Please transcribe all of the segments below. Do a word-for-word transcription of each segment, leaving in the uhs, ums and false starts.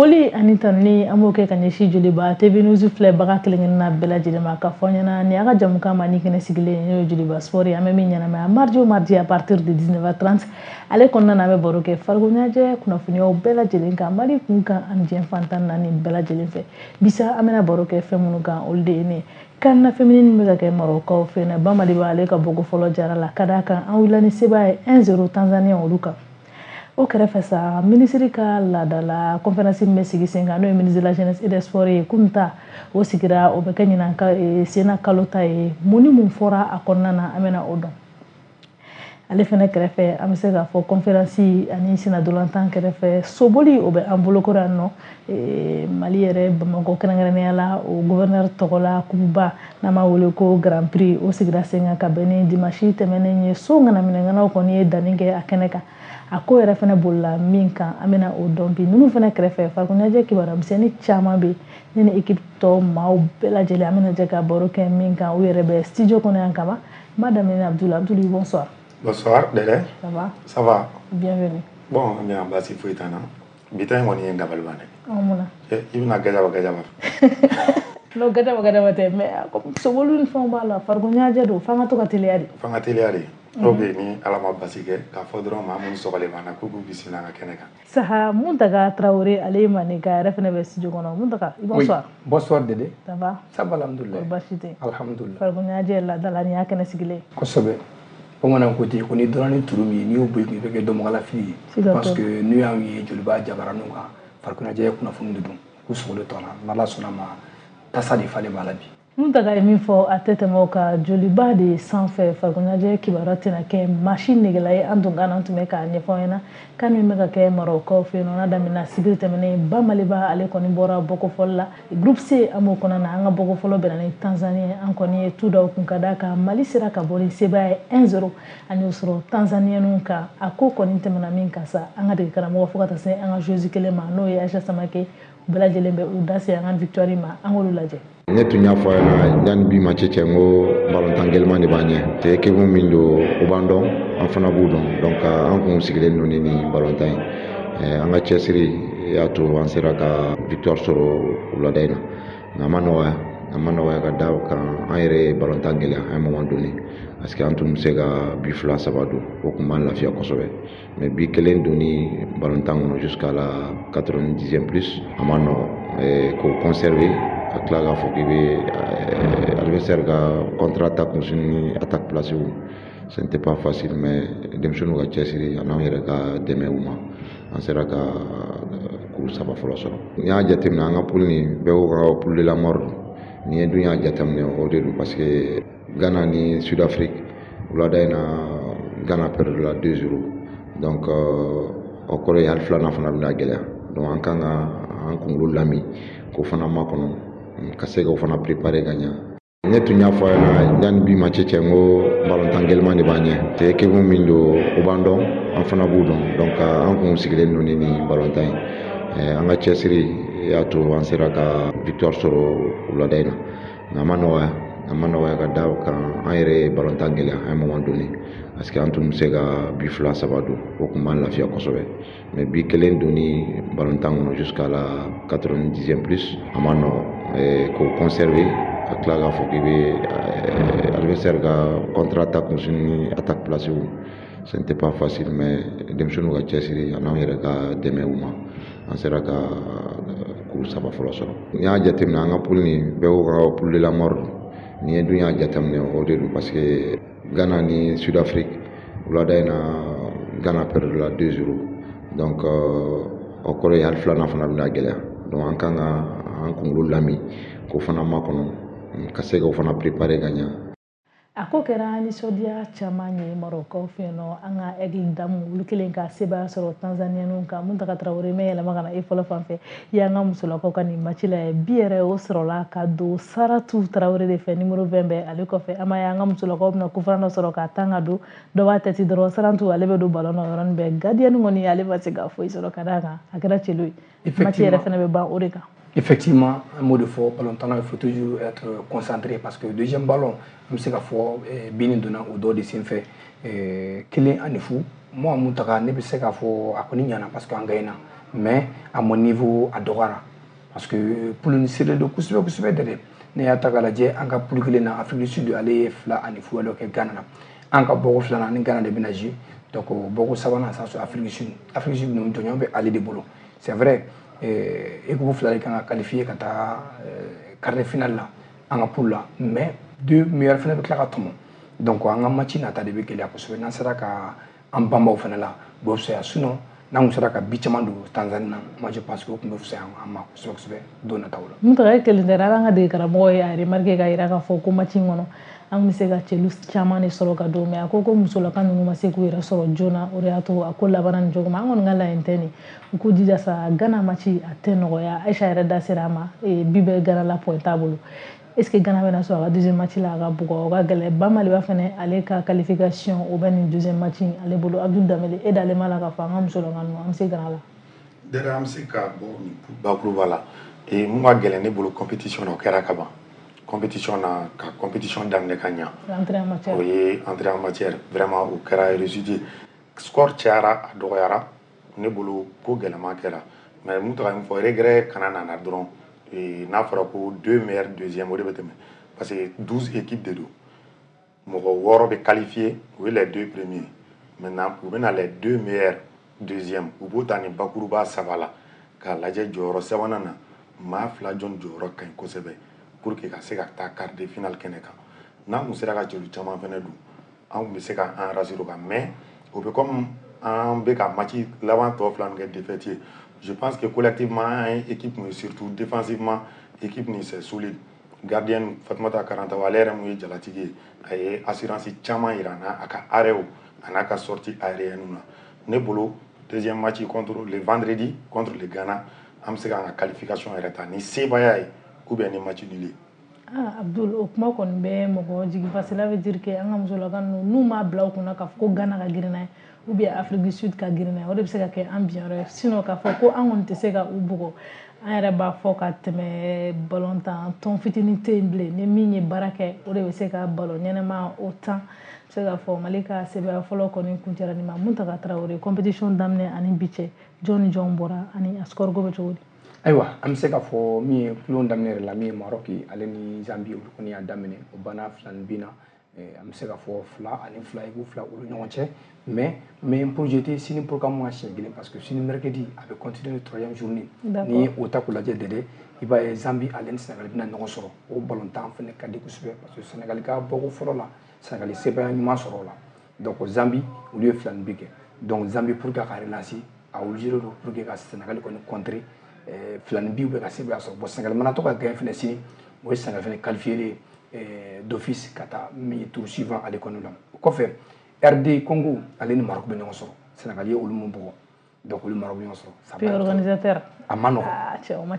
Foli ani tanuni, an b'o kɛ ka ɲɛsin Joliba T V News filɛbaga kelen-kelenna bɛɛ lajɛlen ma, ka fɔ ɲɛna nin y'a ka jamukan ma ni kɛnɛ sigilen, n'o ye Joliba Sport ye. An bɛ min ɲɛnamaya mardi o mardi à partir de dix-neuf heures trente. Ale kɔnɔna na, an bɛ baro kɛ farikolo ɲɛnajɛ kunnafoniyaw bɛɛ lajɛlen kan, Mali kun kan ani diɲɛ fan tan naani bɛɛ lajɛlen fɛ. Bisa, an bɛna baro kɛ fɛn minnu kan, olu de ye nin ye: CAN féminine bɛ ka kɛ Marɔkaw fɛ yen, Bamaliba ale ka bɔko fɔlɔ jara la, ka d'a kan an wulila ni sebaaya ye un zéro Tanzanie olu kan. O kɛrɛfɛ sa, minisiri ka laadala conférence min bɛ sigi sen kan, n'o ye ministre de la Jeunesse et des Sports ye, kunun ta o sigira, o bɛ kɛ ɲinan ka senna kalo ta ye. Mun ni mun fɔra a kɔnɔna na, an bɛna o dɔn. Ale fɛnɛ kɛrɛfɛ, an bɛ se k'a fɔ conférence ani sennadolantan kɛrɛfɛ, soboli o bɛ an bolokɔrɔ yan nɔ, Mali yɛrɛ, Bamakɔ kɛrɛnkɛrɛnnenya la, o gouverneur tɔgɔ la kupuba n'an b'a wele ko Grand Prix, o sigira sen kan ka bɛn ni dimanche tɛmɛnen ye. So ŋanaminɛŋanaw kɔni ye danni kɛ a kɛnɛ kan. A ko yɛrɛ fɛnɛ bolila min kan, an bɛna o dɔn bi. Ninnu fɛnɛ kɛrɛfɛ, farikolo ɲɛnajɛ kibaruya misɛnnin caman bɛ ne ni équipe tɔ maaw bɛɛ lajɛlen, an bɛna jɛ ka baro kɛ min kan. U yɛrɛ bɛ studio kɔnɔ yan kaban. N b'a daminɛ ni Abdul. Abdul, bonsoir. Bonsoir, Dede. Ça va? Ça va. Bienvenue. Bon, bien, basi foyi t'an na. Bi ta in kɔni ye n dabali ban dɛ. Ɔ, mun na? I bɛna gajaba gajaba. Non, gajaba gajaba tɛ, mais soboli ni fɛnw b'a la, farikolo ɲɛnajɛ don, f'an ka to ka teliya de. F'an ka teliya de. Ok, ni Ala ma basi kɛ, k'a fɔ dɔrɔn maa minnu sɔgɔlen b'an na, k'u k'u bisimila an ka kɛnɛ kan. Saha Muntaga Traoré, ale ye maninka yɛrɛ fɛnɛ bɛ studio kɔnɔ. Muntaga, bonsoir. Oui. Bonsoir, Dede. Ça va? Ça va, alhamdoulilah. Basi tɛ. Alhamdoulilah. Farikolo ɲɛnajɛ laadala, nin y'a kɛnɛ sigilen. Kosɛbɛ. Bamananw ko ten ko ni dɔnna ni turu min ye, n'i y'o bɔ i kun, i bɛ kɛ dɔnbagalafili ye. Siga parce t'o que n'u y'anw ye Joliba jabaraninw kan, farikolo ɲɛnajɛ kunnafoni de don, k'u sogolen to an na. N'Ala sɔnna ma, tasa de falen b'a la bi. Muntaga ye min fɔ, a tɛ tɛmɛ o kan. Joliba de sanfɛ, farikolo ɲɛnajɛ kibaruya tɛna kɛ maa si negela ye. An tun kan an tun bɛ k'a ɲɛfɔ aw ɲɛna kan min bɛ ka kɛ Marɔkaw fɛ yen nɔ, n'a daminɛna sibiri tɛmɛnen. Bamaliba ale kɔni bɔra bɔko fɔlɔ la, groupe C an b'o kɔnɔna na. An ka bɔko fɔlɔ bɛnna ni Tanzanie. An kɔni ye tu da o kun, ka d'a kan Mali sera ka bɔ ni sebaaya ye un zéro, an y'o sɔrɔ Tanzanienw kan. A ko kɔni tɛmɛna min kan sa, an ka dege karamɔgɔ fo ka taa se an ka joueuse kelen ma, n'o ye Aïcha Samake, u bɛɛ lajɛlen bɛ u da se an ka victoire ma. An k'olu lajɛ. Ne tun y'a fɔ a ɲɛna yanni bi match cɛ, n ko balontan gɛlɛman de b'an ɲɛ. C'est équipe min don, u b'an dɔn, an fana b'u dɔn. Donc an kun sigilen don ni nin balontan ye. An ka cɛsiri y'a to an sera ka victoire sɔrɔ wulada in na, nka a ma nɔgɔya, a ma nɔgɔya, ka da o kan an yɛrɛ ye balontan gɛlɛya à un moment donné, parce que an tun bɛ se ka but fila saba don, o tun b'an lafiya kosɛbɛ. Mais but kelen donni balontan kɔnɔ jusqu'à la quatre-vingt-dixième plus, a ma nɔgɔn k'o conserver, ka tila k'a fɔ k'i bɛ adversaire ka contre attaque ni attaque placée, ce n'était pas facile. Mais denmisɛnninw ka cɛsiri ani anw yɛrɛ ka dɛmɛ u ma, an sera ka kuru saba fɔlɔ sɔrɔ. N'i y'a jateminɛ, an ka poule nin, bɛɛ ko ka poule de la mort don. N'i ye dun y'a jateminɛ, o de don, parce que Ghana ni Sud-Afrique, wulada in na, Ghana perdu la deux zéro. Donc o kɔrɔ ye hali filanan fana bɛna gɛlɛya. Donc an kan ka an kunkolo lami k'o fana makɔnɔ, ka se k'o fana préparer ka ɲɛ. Ne tun y'a fɔ a ɲɛna yanni bi match cɛ, n ko balontan gɛlɛman de b'an ɲɛ. C'est équipe min don, u b'an dɔn, an fana b'u dɔn. Donc an kun sigilen don ni nin balontan ye. An ka cɛsiri y'a to an sera ka victoire sɔrɔ wulada in na, nka a ma nɔgɔya, a ma nɔgɔya, ka da o kan an yɛrɛ ye balontan gɛlɛya à un moment donné, parce que an tun bɛ se ka but fila saba don, o tun b'an lafiya kosɛbɛ. Mais but kelen donni balontan kɔnɔ jusqu'à la quatre-vingt-dixième plus, a ma nɔgɔn k'o conserver, ka tila k'a fɔ k'i bɛ adversaire ka contre attaque ni attaque placée, ce n'était pas facile. Mais denmisɛnninw ka cɛsiri ani anw yɛrɛ ka dɛmɛ u ma, an sera ka kuru saba fɔlɔ sɔrɔ. N'i y'a jateminɛ, an ka poule nin, bɛɛ ko ka poule de la mort don. N'i ye dun y'a jateminɛ, o de don, parce que Ghana ni Sud-Afrique, wulada in na, Ghana perdu la deux zéro. Donc o kɔrɔ ye hali filanan fana bɛna gɛlɛya. Donc an kan ka an kunkolo lami k'o fana makɔnɔ, ka se k'o fana préparer ka ɲɛ. A ko kɛra nisɔndiya caman ye Marɔkaw fɛ yen nɔ. An ka Aigle Damu, olu kelen ka sebaaya sɔrɔ Tanzanienw kan. Muntaga Tarawele, mɛ yɛlɛma ka na e fɔlɔ fan fɛ. I y'an ka musolakaw ka nin match la bi yɛrɛ, o sɔrɔla ka don Saratu Tarawele de fɛ, numéro vingt bɛ ale kɔfɛ. An b'a ye an ka musolakaw bɛna coup franc dɔ sɔrɔ k'a tan ka don, dɔ b'a tɛti dɔrɔn, Saratu ale bɛ don ballon na o yɔrɔnin bɛɛ. Gardien kɔni, ale ma se ka foyi sɔrɔ, ka d'a kan a kɛra celu ye. Match yɛrɛ fɛnɛ bɛ ban o de kan. Effectivement, un mot de fort, ballon, il faut toujours être concentré parce que deuxième ballon, an bɛ se k'a fɔ bin donna o dɔ de senfɛ, kelen ani fu. Moi, Muntaga, ne bɛ se k'a fɔ a kɔni ɲana parce que an gagnera. Mais à mon niveau, a dɔgɔyara parce que poule ni serré don kosɛbɛ kosɛbɛ dɛ. Ne y'a ta k'a lajɛ, an ka poule kelen na, Afrique du Sud, ale ye fila ani fu dɔ kɛ Ghana na. An ka bɔko filanan ni Ghana de bɛna jouer. Donc bɔko sabanan sa sɔrɔ Afrique du Sud. Afrique du Sud ninnu, jɔnjɔn bɛ ale de bolo. C'est vrai, équipe fila de kan ka qualifier ka taa quart de finale la an ka poule la, mais deux meilleurs fana bɛ tila ka tɔmɔ. Donc an ka match nata de bɛ gɛlɛya kosɛbɛ. N'an sera ka an banbaw fana la, o bɛ fisaya. Sinon n'an kun sera ka bi caman don Tanzanie na, moi je pense que o tun bɛ fisaya an ma kosɛbɛ kosɛbɛ don nataw la. Mutaga, e kelen tɛ dɛ. An ka dege karamɔgɔ ye a remarqué ka yira k'a fɔ ko match in kɔnɔ, an bɛ se ka cɛlu caman de sɔrɔ ka don, mais a ko ko musolaka ninnu ma se k'u yɛrɛ sɔrɔ joona, o de y'a to a ko labanna nin cogo ma. An kɔni ka laɲini tɛ nin, u k'u jija sa. Ghana match a tɛ nɔgɔya. Aïcha yɛrɛ da sera a ma, bi bɛ Ghana la, point t'a bolo. Est ce que Ghana bɛna sɔrɔ a ka deuxième match la a ka bugɔ? O ka gɛlɛn. Ba Maliba fɛnɛ, ale ka qualification o bɛ nin deuxième match in ale bolo. Abdul Danbele, e dalen b'a la k'a fɔ an ka musolaka ninnu, an bɛ se Ghana la? Dɛrɛ, an bɛ se ka bɔ nin bakuruba la. Mun ka gɛlɛn ne bolo compétition na, o kɛra ka ban. Compétition na, ka compétition daminɛ ka ɲa, entrée en matière, o ye entrée en matière, vraiment o kɛra réussite ye. Score cayara, a dɔgɔyara, ne bolo ko gɛlɛman kɛra. Mais mun taga min fɔ, regret kana nana dɔrɔn. N'a fɔra ko deux meilleurs deuxième, o de bɛ tɛmɛ, parce que douze équipes de don, mɔgɔ wɔɔrɔ bɛ qualifié, o ye les deux premiers. Maintenant u bɛna les deux meilleurs deuxième, u b'o ta nin bakuruba saba la k'a lajɛ jɔyɔrɔ sabanan na, maa fila jɔn jɔyɔrɔ ka ɲi kosɛbɛ pour que ka se ka taa quart de finale kɛnɛ kan. N'an kun sera ka jeli caman fɛnɛ don, an kun bɛ se ka an rassurer o kan. Mais o bɛ comme an bɛ ka match laban tɔ fila min kɛ défaite ye. Je pense que collectivement an ye équipe mun ye, surtout défensivement, équipe nin c'est solide. Gardien Fatumata Karantaw, ale yɛrɛ mun ye jalatigi ye, a ye assurance caman yira n na a ka arrêt a n'a ka sortie aérienne na. Ne bolo, deuxième match contre le vendredi contre le Ghana, an bɛ se k'an ka qualification yɛrɛ ta ni sebaaya ye ou bien ni match nul ye. Ah Abdul, o kuma kɔni bɛ mɔgɔ jigi fa. Cela veut dire que an ka musolaka ninnu, n'u m'a bila u kunna k'a fɔ ko Ghana ka girin n'a ye ou bien Afrique du Sud ka girin n'a ye, o de bɛ se ka kɛ an binyɔrɔ ye. Sinon k'a fɔ ko an kɔni tɛ se ka u bugɔ, an yɛrɛ b'a fɔ ka tɛmɛ, balontan tɔn fitinin tɛ yen bilen. Ni min ye baara kɛ, o de bɛ se ka balon ɲɛnɛma o tan. Bɛ se k'a fɔ Mali ka sɛbɛya fɔlɔ kɔni kuncɛra nin ma. Muntaga Tarawele, compétition daminɛ ani bi cɛ, jɔn ni jɔn bɔra ani a score ko bɛ cogo di? Ayiwa, an bɛ se k'a fɔ min ye kulon daminɛ yɛrɛ la, min ye Maroc ale ni Zambie, olu kɔni y'a daminɛ, o banna fila ni bin na. An bɛ se k'a fɔ fila ani fila, i k'u fila olu ɲɔgɔn cɛ. Mais n bɛ n projeté sini programme ka siɲɛ kelen, parce que sini mercredi a bɛ continuer le troisième journée. Ni ye o ta k'o lajɛ dɛdɛ, i b'a ye Zambie ale ni Sénégal bɛna ɲɔgɔn sɔrɔ. O balontan fana ka di kosɛbɛ, parce que Sénégal ka bɔko fɔlɔ la, Sénégal sebaaya ɲuman sɔrɔ o la. Donc Zambie, olu ye fila ni bi kɛ. Donc Zambie, pour que a ka relancer, a obligé don pour que ka Sénégal kɔni contrer fila ni bi bɛ ka sebaaya sɔrɔ. Bon, Sénégal mana to ka gagner fɛnɛ sini, o ye Sénégal fɛnɛ qualifié d'office ka taa min ye tour suivant ale kɔni la. O kɔfɛ, R D Congo ale ni Maroc bɛ ɲɔgɔn sɔrɔ. Sénégal ye olu mun bugɔ, donc olu Maroc bɛ ɲɔgɔn sɔrɔ. Pays organisateur. A ma nɔgɔn,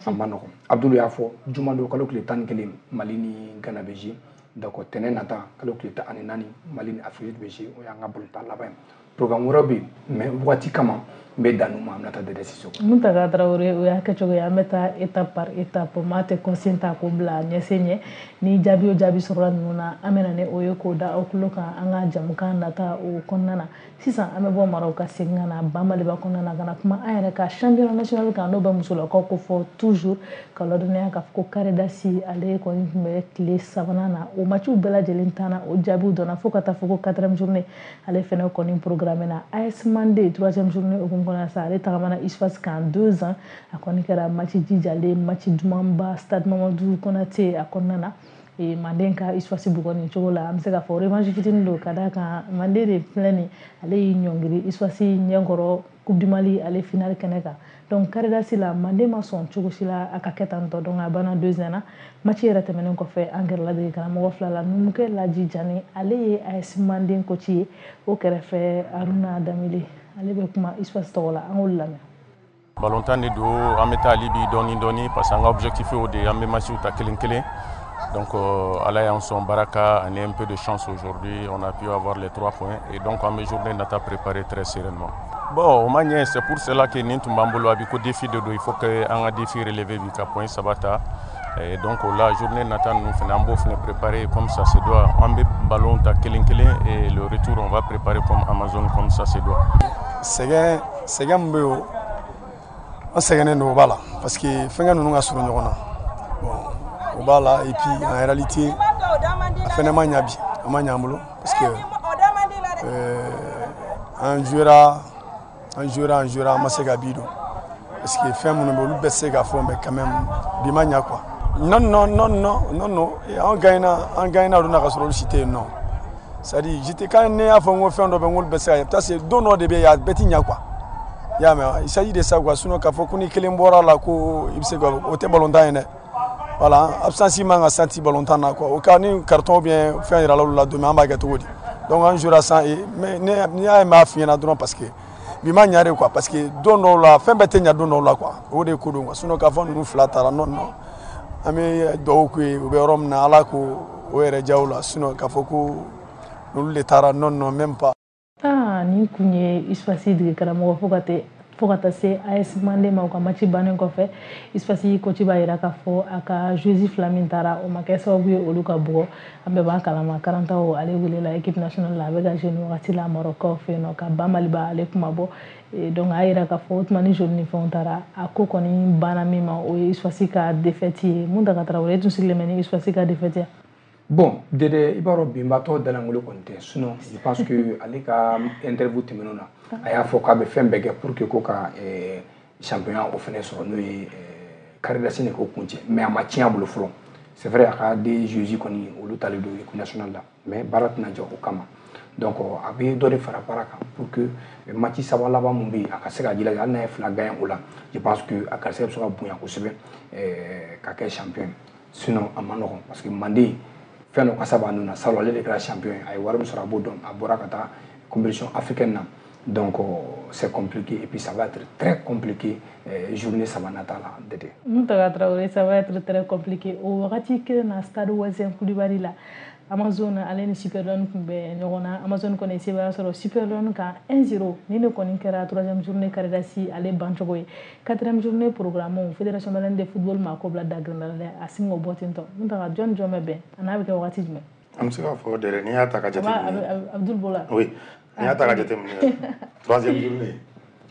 a ma nɔgɔn. Abdul y'a fɔ, juma don kalo tile tan ni kelen, Mali ni Ghana bɛ jouer. Donc tɛnɛn nata kalo tile tan ani naani, Mali ni Afrique bɛ jouer. O y'an ka balontan laban ye. Programme wɛrɛw bɛ yen, mais waati kama n bɛ dan ma. An bɛna taa Dɛdɛ Sisoko. Muntaga Tarawele, o y'a kɛcogo ye. An bɛ taa étape par étape, maa tɛ consigne ta k'o bila ɲɛsen ɲɛ. Ni jaabi o jaabi sɔrɔla ninnu na, an bɛ na ni o ye k'o da aw tulo kan an ka jamukan nata o kɔnɔna na. Sisan an bɛ bɔ Maroc ka segin ka na Ba Maliba kɔnɔna na, ka na kuma an yɛrɛ ka championnat national kan, n'o bɛ musolakaw ko fɔ toujours, ka ladɔnniya k'a fɔ ko carré d'as ale kɔni tun bɛ tile sabanan na. O matchiw bɛɛ lajɛlen tanna, o jaabiw dɔnna, fo ka taa fɔ ko quatrième journée ale fɛnɛ kɔni programme na. A S Mande, troisième journée hukumu kɔnɔna sa, ale tagamana USFAS kan deux ans. A kɔni kɛra match jijalen, match dumanba stade Mamadu Konate a kɔnɔna na. Manden ka USFAS bugɔ nin cogo la, an bɛ se k'a fɔ revanche fitinin don, ka d'a kan Manden de filɛ nin, ale y'i ɲɔngiri USFAS ɲɛkɔrɔ Coupe du Mali ale finale kɛnɛ kan. Donc carré d'as la, Manden ma sɔn cogo si la a ka kɛ tan tɔ. Donc a banna deux un na. Match yɛrɛ tɛmɛnen kɔfɛ, an gɛrɛla dege karamɔgɔ fila la. Numukɛ Laji Jani, ale ye A S Manden coach ye. O kɛrɛfɛ, Haruna Danbele, ale bɛ kuma USFAS tɔgɔ la. An k'olu lamɛn. Balontan de don, an bɛ taa hali bi dɔɔni dɔɔni, parce que an ka objectif y'o de ye, an bɛ matchiw ta kelen kelen. Donc euh, ala y'an sɔn baraka ani un peu de chance, aujourd'hui on a pu avoir les trois points et donc an bɛ journée nata préparer très sereinement. Bon, o ma ɲɛ, c'est pour cela que nin tun b'an bolo a bi ko défi de don, il faut que an ka défi relever bi ka point saba ta. Et donc o la, journée nata ninnu fana, an b'o fana préparer comme ça se doit. An bɛ ballon ta kelen kelen et le retour, on va préparer comme Amazon, comme ça se doit. Sɛgɛn, sɛgɛn min bɛ yen, An sɛgɛnnen don, o b'a la, parce que fɛnkɛ ninnu ka surun ɲɔgɔn na. Bon, o b'a la, et puis en réalité a fɛnɛ ma ɲa bi, a ma ɲa an bolo, parce que euh, an jouera an jouera an jouera, an ma se ka bi don, parce que fɛn minnu bɛ, olu bɛɛ tɛ se ka fɔ, mais quand même bi ma ɲa quoi. Non, non, non, non, non, non, an gagnera, an gagnera olu na ka sɔrɔ olu si tɛ yen nɔ. C'est à dire, j'étais, quand ne y'a fɔ n ko fɛn dɔ bɛ n k'olu bɛɛ se ka kɛ, parce que don dɔ de bɛ yen, a bɛɛ ti ɲa quoi. I y'a mɛn, il s'agit de ça quoi. Sinon k'a fɔ ko ni kelen bɔra la ko i bɛ se ka, o tɛ balontan ye dɛ. Voilà, absence man ka senti balontan na quoi. O cas ni carton ou bien fɛn yirala olu la don min, an b'a kɛ cogo di? Donc an jouera sans et mais ne y'a ye, n b'a f'i ɲɛna dɔrɔn, parce que bi ma ɲa de quoi, parce que don dɔw la fɛn bɛɛ tɛ ɲa don dɔw la quoi. O de ye ko don quoi. Sinon k'a fɔ ninnu fila taara, non, non, an bɛ dugawu k'u ye, u bɛ yɔrɔ min na, Ala k'o o yɛrɛ diya u la. Sinon k'a fɔ ko olu de taara, non, non, même pas. Ah, nin kun ye USFAS dege karamɔgɔ fo ka tɛ fo ka taa se A S Mande ma. U ka match bannen kɔfɛ, USFAS coach b'a yira k'a fɔ a ka joueuse fila min taara, o ma kɛ sababu ye olu ka bugɔ. An bɛɛ b'a kalama, Karantaw ale welela équipe nationale la, a bɛ ka jouer nin wagati la Maroc fɛ yen nɔ, ka ba Maliba ale kuma bɔ. Donc a yira k'a fɔ o tuma ni joli ni fɛnw taara, a ko kɔni banna min ma, o ye USFAS ka défaite ye. Mun ta ka Tarawele, e tun sigilen bɛ ni USFAS ka défaite ye? Bon, Dede, i b'a dɔn binbatɔ dalankolon kɔni tɛ. Sinon je pense que ale ka interview tɛmɛnenw na, a y'a fɔ k'a bɛ fɛn bɛɛ kɛ pour que ko ka championnat o fɛnɛ sɔrɔ, n'o ye carré d'as de k'o kuncɛ, mais a ma tiɲɛ a bolo fɔlɔ. C'est vrai, a ka des joueurs kɔni, olu talen don équipe nationale la, mais baara tɛna jɔ o kama. Donc a bɛ dɔ de fara baara kan pour que match saba laban mun bɛ yen, a ka se ka jilaja. Hali n'a ye fila gagné o la, je pense que a garisɛgɛ bɛ se ka bonya kosɛbɛ ka kɛ champion. Sinon a ma nɔgɔn, parce que Manden fɛn dɔ kasa b'a nun na. Salon ale de kɛra champion ye, a ye wari min sɔrɔ, a b'o dɔn, a bɔra ka taa compétition africaine na. Donc c'est compliqué et puis ça va être très compliqué journée saba nata la, Dede. Mountaga Traoré, ça va être très compliqué. O wagati kelen na, stade Ouezzin Coulibaly la, Amazon ale ni Super Lion tun bɛ ɲɔgɔn na. Amazon kɔni sebaya sɔrɔ Super Lion kan un zéro. Ni ne kɔni kɛra troisième journée carré d'as ale bancogo ye. Quatrième journée programme, Fédération malienne de football ma ko bila dagirinda la dɛ, a sin k'o bɔ ten tɔ. Mountaga, jɔn jɔn bɛ bɛn a n'a bɛ kɛ wagati jumɛn? An bɛ se k'a fɔ Dɛrɛ, n'i y'a ta ka jateminɛ. Abdul Bola. Oui, n'i y'a ta ka jateminɛ, troisième journée,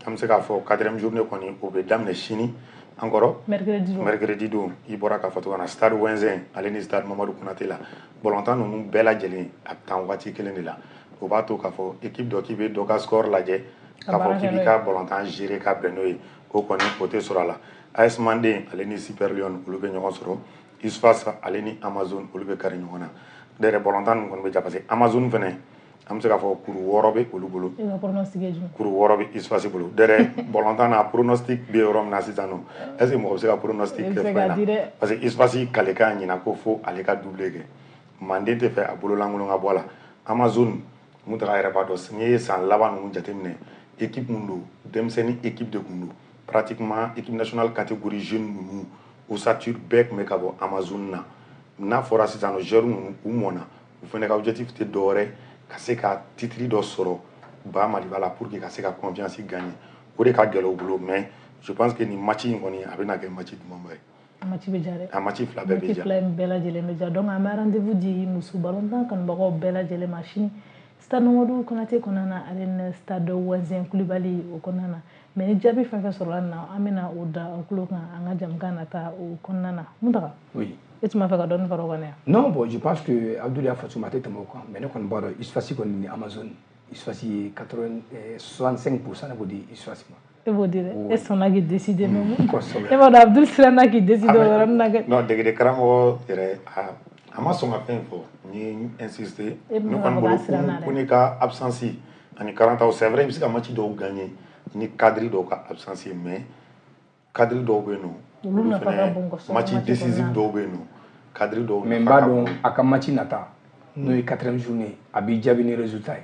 an bɛ se k'a fɔ quatrième journée kɔni, o bɛ daminɛ sini an kɔrɔ. Mercredi don. Mercredi don, i bɔra k'a fɔ cogo min na, stade Ouezzin ale ni stade Mamadu Konate la, balontan ninnu bɛɛ lajɛlen a bɛ taa waati kelen de la. O b'a to k'a fɔ équipe dɔ k'i bɛ dɔ ka score lajɛ k'a fɔ k'i b'i ka balontan gérer ka bɛn n'o ye, o kɔni o tɛ sɔrɔ a la. A S Manden ale ni Super Lion, olu bɛ ɲɔgɔn sɔrɔ. USFAS ale ni Amazon, olu bɛ kari ɲɔgɔn na. Ne yɛrɛ, balontan ninnu kɔni bɛ ja, parce que Amazon fɛnɛ, an bɛ se k'a fɔ kuru wɔɔrɔ bɛ olu bolo. E ka pronostic ye jumɛn? Kuru wɔɔrɔ bɛ USFAS bolo. Dɛrɛ, balontan na pronostic bɛ yɔrɔ min na sisan nɔ, est ce que mɔgɔ bɛ se ka pronostic kɛ fɛn na? Parce que USFAS kalekan ɲina ko fo ale ka doublé kɛ. Manden tɛ fɛ a bololankolon ka bɔ a la. Amazon, Mountaga yɛrɛ b'a dɔn, n'i ye san laban ninnu jateminɛ, équipe mun don, denmisɛnnin équipe de kun don pratiquement. Équipe nationale catégorie jeune ninnu, ossature bɛɛ tun bɛ ka bɔ Amazon na. N'a fɔra sisan nɔ joueurs ninnu u mɔnna, u fana ka objectif tɛ dɔwɛrɛ ka se ka titre dɔ sɔrɔ ba Maliba la pour que ka se ka confiance gagner. O de ka gɛlɛn u bolo, mais je pense que nin match in kɔni, a bɛna kɛ match dumanba ye. A match bɛ diya dɛ. A match fila bɛɛ bɛ match diya. Fila in bɛɛ lajɛlen bɛ diya. Donc an bɛ rendez-vous di muso balontan kanubagaw bɛɛ lajɛlen ma sini, stade Mamadu Konate kɔnɔna na, ale ni stade Ouezzin Coulibaly o kɔnɔna na. Mais ni jaabi fɛn fɛn sɔrɔla nin na, an bɛna o da aw tulo kan an ka jamukan nata o kɔnɔna na. Mountaga. Oui. E tun b'a fɛ ka dɔɔni fara o kan dɛ? Non, bon, je pense que Abdoul y'a fɔ cogo min, a tɛ tɛmɛ o kan, mais ne kɔni b'a dɔn USFAS kɔni ni Amazon, USFAS ye quatre-vingts soixante-cinq pour cent, ne b'o di USFAS ma. E b'o di dɛ, e sɔnna k'i décider même. Kosɛbɛ. E b'a dɔn Abdul siranna k'i décider o yɔrɔnin na kɛ. Non, degeden karamɔgɔ yɛrɛ, a a ma sɔn ka fɛn fɔ, n ye insister. E bɛ ne fɛ k'a kɔni fɔ bolo k'a siranna dɛ. Ko ne ka absence ani karantaw, c'est vrai, i bɛ se ka match dɔw gagner ni cadre dɔw ka absence ye, mais cadre dɔw bɛ yen nɔ, olu nafa ka bon kosɛbɛ. Match match décisif kɔnɔna na. Dɔw bɛ yen nɔ, cadre dɔw Mais n nafa b'a ka dɔn bon. A ka match nata, n'o ye quatrième journée, a b'i jaabi ni résultat ye.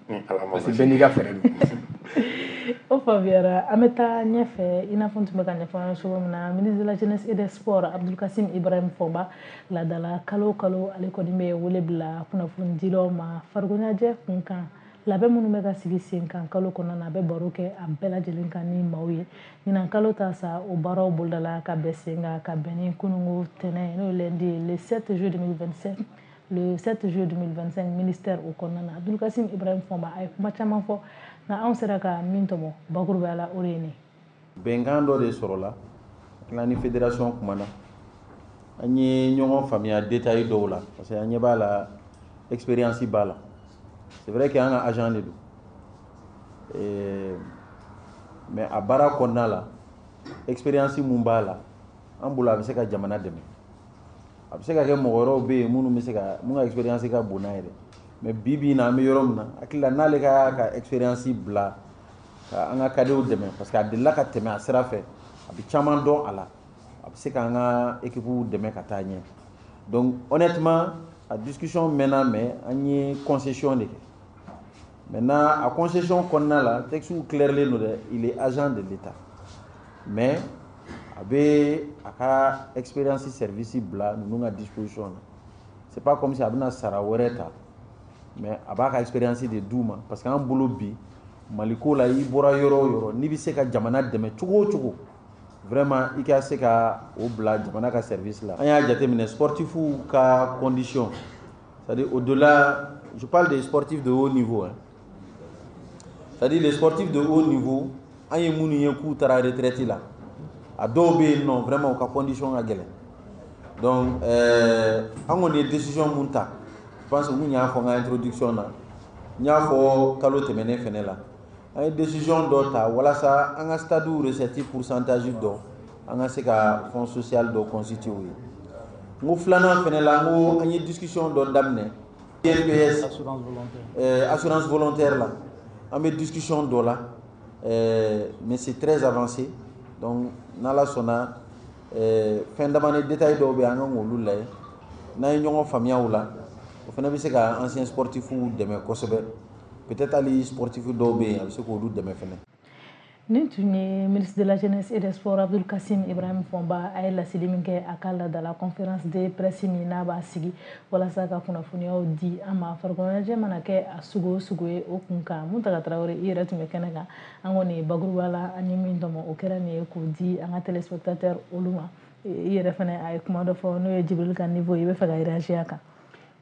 Ni Ala ma parce que basi. Bɛɛ n'i ka fɛɛrɛ don. O faamuyara. An bɛ taa ɲɛfɛ. I n'a fɔ n tun bɛ ka ɲɛfɔ an ye cogo min na, ministre de la Jeunesse et des Sports Abdoul Kassim Ibrahim Fɔnba, laadala kalo o kalo ale kɔni bɛ wele bila kunnafonidilaw ma farikoloɲɛnajɛ kun kan, labɛn minnu bɛ ka sigi sen kan kalo kɔnɔna na, a bɛ baro kɛ a bɛɛ lajɛlen kan ni maaw ye. Ɲinan kalo ta sa, o baaraw bolodala ka bɛn sen kan ka bɛn ni kununko tɛnɛn, n'o ye lundi ye, le sept juillet deux mille vingt-cinq, le sept juillet deux mille vingt-cinq, ministère o kɔnɔna na. Abdoul Kassim Ibrahim Fɔnba a ye kuma caman fɔ, nka anw sera ka min tɔmɔ bakurubaya la, o de ye nin. Bɛnkan dɔ de sɔrɔla tila ni fédération kumana, an ye ɲɔgɔn faamuya détail dɔw la, parce que an ɲɛ b'a la, expérience b'a la. C'est vrai que an ka agent de don, mais a baara kɔnɔna la, expérience mun b'a la, an bolo a bɛ se ka jamana dɛmɛ. A bɛ se ka kɛ mɔgɔ wɛrɛw bɛ yen minnu bɛ se ka mun ka expérience ka bon n'a ye dɛ, mais bi bi in na, an bɛ yɔrɔ min na, hakili la n'ale ka ka expérience bila ka an ka cadetw dɛmɛ, parce que a delila ka tɛmɛ a sira fɛ, a bɛ caman dɔn a la, a bɛ se k'an ka équipe dɛmɛ ka taa ɲɛ. Donc honnêtement, a discussion mɛnna, mais an ye concession de kɛ. Maintenant, a concession kɔnɔna la, texte clairlen don dɛ, il est agent de l'État, mais a bɛ a ka expérience service bila ninnu ka disposition na. C'est pas comme si a bɛna sara wɛrɛ ta, mais a b'a ka expérience de d'u ma, parce que an bolo bi Maliko la, i bɔra yɔrɔ o yɔrɔ, n'i bɛ se ka jamana dɛmɛ cogo o cogo, vraiment i ka se ka o bila jamana ka service la. An y'a jateminɛ sportifu ka condition, c'est-à-dire au-delà, je parle des sportifs de haut niveau, hein. C'est-à-dire les sportifs de haut niveau, an ye minnu ye k'u taara retraite la, a dɔw bɛ yen nɔ, vraiment u ka condition ka gɛlɛn. Donc euh, an kɔni ye décision mun ta, je pense que n y'a fɔ n ka introduction na, n y'a fɔ kalo tɛmɛnen fɛnɛ la, an ye décision dɔ ta walasa an ka stade recette pourcentage dɔ, an ka se ka fonds social dɔ constituer u ye. N ko filanan fɛnɛ la, n ko an ye discussion dɔ daminɛ I N P S, assurance volontaire, euh, assurance volontaire la, an bɛ discussion dɔ la, euh, mais c'est très avancé. Donc n'Ala sɔnna, euh, fɛn damani détail dɔw bɛ yen, an kan k'olu lajɛ. N'an ye ɲɔgɔn faamuya o la, o fana bɛ se ka ancien sportif dɛmɛ kosɛbɛ. Peut-être hali sportif dɔw bɛ yen, a bɛ se k'olu dɛmɛ fɛnɛ. Nin tun ye ministre de la Jeunesse et des Sports Abdoul Kassim Ibrahim Fomba. A ye laseli min kɛ a ka laadala conférence de presse min n'a b'a sigi walasa ka kunnafoniyaw di an ma, farikolo ɲɛnajɛ mana kɛ a sugu o sugu ye, o kun kan. Muntaga Tarawele, i yɛrɛ tun bɛ kɛnɛ kan. An kɔni bakuruba la, an ye min tɔmɔ, o kɛra nin ye k'o di an ka téléspectateur olu ma. I yɛrɛ fɛnɛ, a ye kuma dɔ fɔ, n'o ye Jibril ka niveau ye, i bɛ fɛ ka réagir a kan?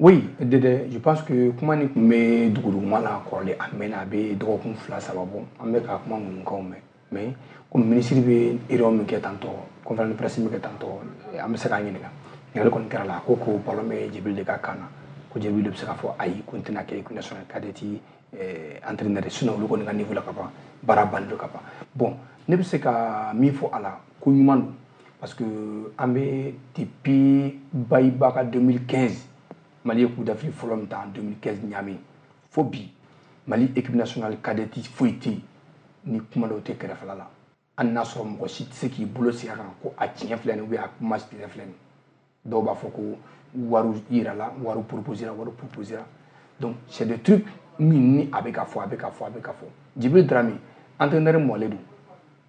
Oui, Dede, je pense que kuma nin tun bɛ duguduguma la kɔrɔlen, a mɛnna, a bɛ dɔgɔkun fila saba bɔ, an bɛ ka kuma ŋunukanw mɛn. Mais komi ministre bɛ réunion min kɛ tantɔ, conférence de presse min kɛ tantɔ, an bɛ se k'a ɲininka. Ɲininkali kɔni kɛra la, a ko ko ballon bɛ Jibril de ka kan na, ko Jibril de bɛ se k'a fɔ ayi, ko n tɛna kɛ équipe nationale cadette entraîneur, sinon olu kɔni ka niveau la ka ban, baara bannen don ka ban. Bon, ne bɛ se ka min fɔ a la, ko ɲuman don, parce que an bɛ depuis Bayiba ka deux mille quinze, Mali ye Coupe d'Afrique fɔlɔ min ta en deux mille quinze Niamey, fo bi, Mali équipe nationale cadette foyi tɛ yen ni kuma dɔw tɛ kɛrɛfɛla la. Hali n'a sɔrɔ mɔgɔ si tɛ se k'i bolo sigi a kan ko a tiɲɛ filɛ nin, ou bien a kuma tiɲɛ filɛ nin. Dɔw b'a fɔ ko wariw yirala, wariw proposera, wariw proposera. Donc c'est des trucs min ni a bɛ ka fɔ, a bɛ ka fɔ, a bɛ ka fɔ. Djibril Dramé, entraîneur mɔlen don,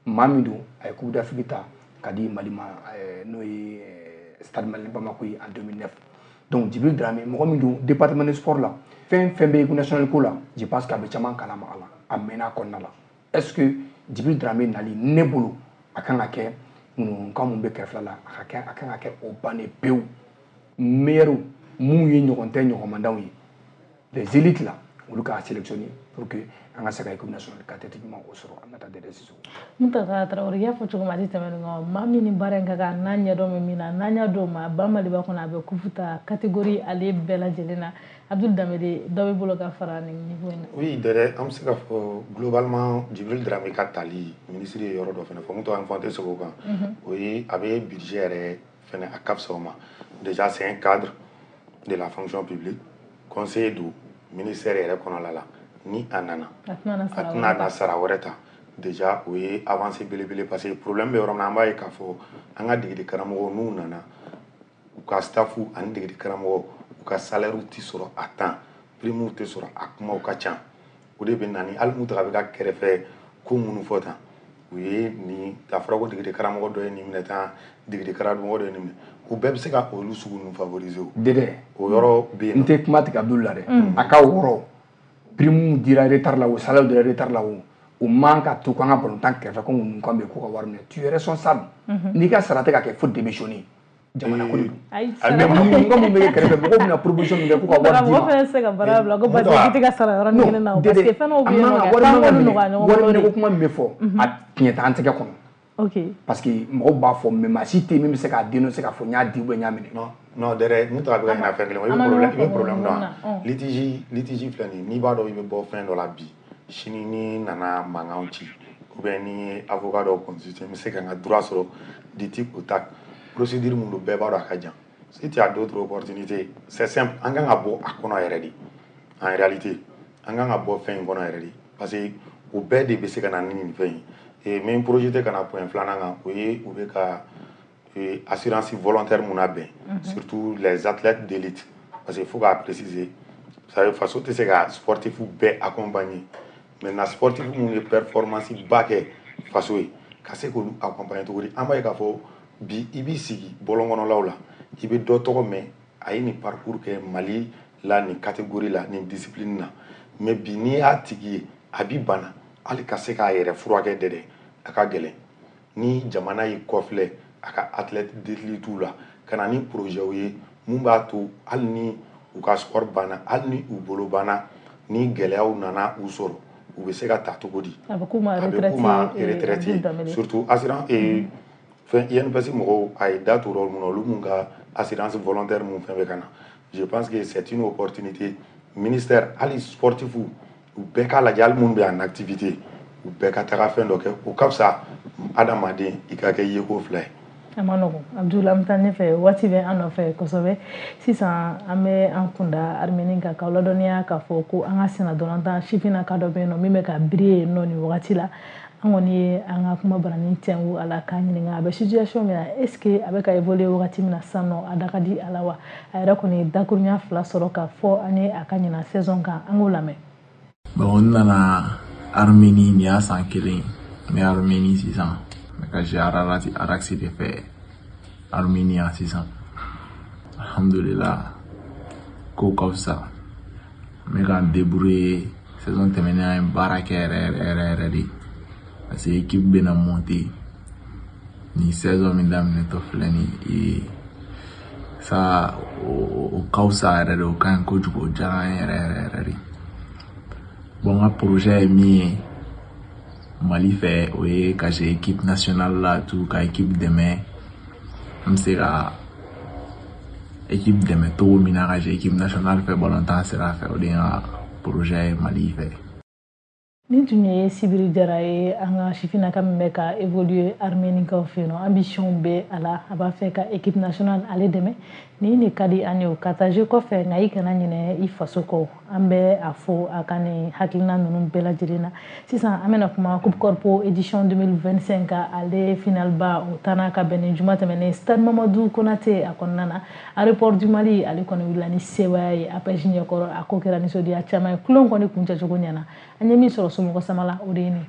maa min don, a ye Coupe d'Afrique ta ka di Mali ma, n'o ye Stade Malien Bamako ye en deux mille neuf. Donc Djibril Dramé, mɔgɔ min don, département de sport la, fɛn fɛn bɛ équipe nationale ko la, je pense qu'a bɛ caman kalama a la, a mɛnna a kɔnɔna la. Est-ce que Djibril Dramé nali, ne bolo, a kan ka kɛ ŋunuŋunukan mun bɛ kɛrɛfɛla la, a ka kɛ, a kan ka kɛ o bannen pewu. Meilleur mun ye ɲɔgɔn tɛ ɲɔgɔn ye, les élites là, olu k'a sélectionner pour que an ka se ka équipe nationale cadette ɲuman o sɔrɔ. An ka taa Dɛdɛ Sisoko. Muntaka Tarawele, i y'a fɔ cogo min, a tɛ tɛmɛ nin kan. Maa min ni baara in ka kan, n'a ɲɛdɔn bɛ min na, n'an y'a d'o ma, ba Maliba kɔnɔ, a bɛ kupu ta catégorie ale bɛɛ lajɛlen na. Abdul Danbele, dɔ bɛ bolo ka fara nin niveau in na? Oui Dɛdɛ, an bɛ se ka fɔ globalement, Djibril Dramé ka tali, ministre ye yɔrɔ dɔ fana fɔ, mun tɔgɔ an fɔ, an tɛ segin o kan, o ye a bɛ budget yɛrɛ fɛnɛ, a ka fisa o ma. Déjà, c'est un cadre de la fonction publique, conseiller don ministère yɛrɛ kɔnɔla la. Ni a nana, a tɛna na sara wɛrɛ ta. Déjà o ye avancée belebele, parce que problème bɛ yɔrɔ min na, an b'a ye k'a fɔ an ka degeli karamɔgɔw, n'u nana, u ka staff ani degeli karamɔgɔ, u ka salaire tɛ sɔrɔ à temps, prime tɛ sɔrɔ, a kumaw ka ca. O de bɛ na ni hali Mutaga bɛ ka kɛrɛfɛ ko minnu fɔ tan, u ye nin a fɔra ko degeli karamɔgɔ dɔ ye nin minɛ tan, degeli karamɔgɔ dɔ ye nin minɛ, o bɛɛ bɛ se ka olu sugu ninnu favoriser. O Dɛdɛ, o yɔrɔ bɛ yen. N tɛ kuma tigɛ Abdul la dɛ. A ka o yɔrɔ, prime dira retard la o, salaire dira retard la o, o man ka to k'an ka balontan kɛrɛfɛ ko ŋunukan bɛ yen k'u ka wari minɛ. Tu es responsable, n'i ka sara tɛ ka kɛ, fo démissionner. Jamana ko de don. Mais ŋunukan mun bɛ kɛ kɛrɛfɛ, mɔgɔw bɛna proposition min kɛ k'u ka wari d'i ma. Mɔgɔ fɛnɛ tɛ se ka baara bila ko parce que k'i tɛ ka sara yɔrɔnin kelen na o, parce que fɛn dɔw bɛ yen nɔ, wari k'an man ka k'olu minɛ nɔgɔya ɲɔgɔn wari bolo minɛ de. Ko kuma min bɛ fɔ, a tiɲɛ t'an tɛgɛ kɔnɔ. Ok. Parce que mɔgɔw b'a fɔ, mais maa si tɛ yen min bɛ se k'a dénoncer k'a fɔ n y'a di ou bien n y'a minɛ. Non, non, dɛrɛ, n tun bɛ ka ɲinɛ fɛn kelen kɔ. I bɛ problème i bɛ problème dɔn wa? Litige litige filɛ nin ye, n'i b'a dɔn i bɛ bɔ fɛn dɔ la bi, sini n'i nana mankan ci ou bien ni ye avocat dɔw consulter, n bɛ se ka n ka droit sɔrɔ du tic au tac. Procédure mun don, bɛɛ b'a dɔn a ka jan. Si tu as d'autres opportunités, c'est simple, an kan ka bɔ a kɔnɔ yɛrɛ de. En réalité, an kan ka bɔ fɛn in kɔnɔ yɛrɛ de, parce que o bɛɛ de bɛ se ka na ni nin fɛn ye. Et n bɛ n projeté ka na point filanan kan, o ye u bɛ ka assurance volontaire mun labɛn, surtout les athlètes d'élite, parce que il faut k'a préciser, vous savez, faso tɛ se ka sportif bɛɛ accompagner. Maintenant, sportif mun ye performance ba kɛ faso ye, ka se k'olu accompagner cogo di? An b'a ye k'a fɔ bi, i b'i sigi bɔlɔn kɔnɔlaw la, i bɛ dɔ tɔgɔ mɛn, a ye nin parcours kɛ Mali la, nin catégorie la, nin discipline na, mais bi n'i y'a tigi ye a bi bana, hali ka se k'a yɛrɛ furakɛ dɛ dɛ a ka gɛlɛn. Ni jamana y'i kɔfilɛ a ka athlète d'élite la, ka na ni projet ye mun b'a to hali ni u ka sport banna, hali ni u bolo banna, ni gɛlɛyaw nana u sɔrɔ, u bɛ se ka ta cogo di? A bɛ k'u ma a bɛ k'u ma retraite ye. Surtout assurance fɛn I N P S mɔgɔw, a ye da t'o yɔrɔ mun na, olu mun ka assurance volontaire mun fɛn bɛ ka na, je pense que c'est une opportunité. Ministère, hali sportif, u bɛɛ k'a lajɛ, hali minnu bɛ en activité, u bɛɛ ka taga fɛn dɔ kɛ, o ka fisa adamaden i ka kɛ yeko fila ye. A ma nɔgɔn, Abdul. An bɛ taa ɲɛfɛ, waati bɛ an nɔfɛ kosɛbɛ. Sisan an bɛ an kunda Armenie kan, k'aw ladɔnniya k'a fɔ ko an ka senna dolantan sifinnaka dɔ bɛ yen nɔ min bɛ ka briller yen nɔ nin wagati la. An kɔni ye an ka kuma barani tɛnku a la k'a ɲininka a bɛ situation min na, est ce que a bɛ ka évoluer wagati min na sisan nɔ, a da ka di a la wa? A yɛrɛ kɔni ye dakurunya fila sɔrɔ k'a fɔ an ye a ka ɲina saison kan. An k'o lamɛn. Bon, n nana Armenie, nin y'a san kelen n bɛ Armenie sisan. N bɛ ka jouer Ararat Araxi de fɛ Armenie yan sisan. Alhamdulillah, ko ka fisa, n bɛ ka n débrouiller. Saison tɛmɛnen, an ye baara kɛ yɛrɛ yɛrɛ yɛrɛ yɛrɛ de, parce que équipe bɛna monter nin saison min daminɛtɔ filɛ nin ye sa, o ka fisa yɛrɛ de, o ka ɲi kojugu, o diyara an ye yɛrɛ yɛrɛ yɛrɛ de. Bon, n ka projet ye min ye Mali fɛ, o ye ka jouer équipe nationale la tout, ka équipe dɛmɛ, n bɛ se ka équipe dɛmɛ cogo min na ka jouer équipe nationale fɛ balontan sira fɛ, o de ye n ka projet ye Mali fɛ. Nin tun ye Sibiri Jara ye, an ka sifinnaka min bɛ ka évoluer Armenikaw fɛ yen nɔ. Ambition bɛ a la, a b'a fɛ ka équipe nationale ale dɛmɛ. Nin de ka di an ye o ka taa jeu kɔfɛ, nka i kana ɲinɛ i faso kɔ. An bɛ a fo a ka nin hakilina ninnu bɛɛ lajɛlen na. Sisan an bɛna kuma Coupe Corpo édition deux mille vingt-cinq, ale finale ba o taana ka bɛn ni juma tɛmɛnen stade Mamadu Konate a kɔnɔna na. Aéroport du Mali ale kɔni wulila ni sebaaya ye A P E J ɲɛkɔrɔ. A ko kɛra nisɔndiya caman ye, kulon kɔni kuncɛcogo ɲɛna. An ye min sɔrɔ somɔgɔ sama la, o de ye nin.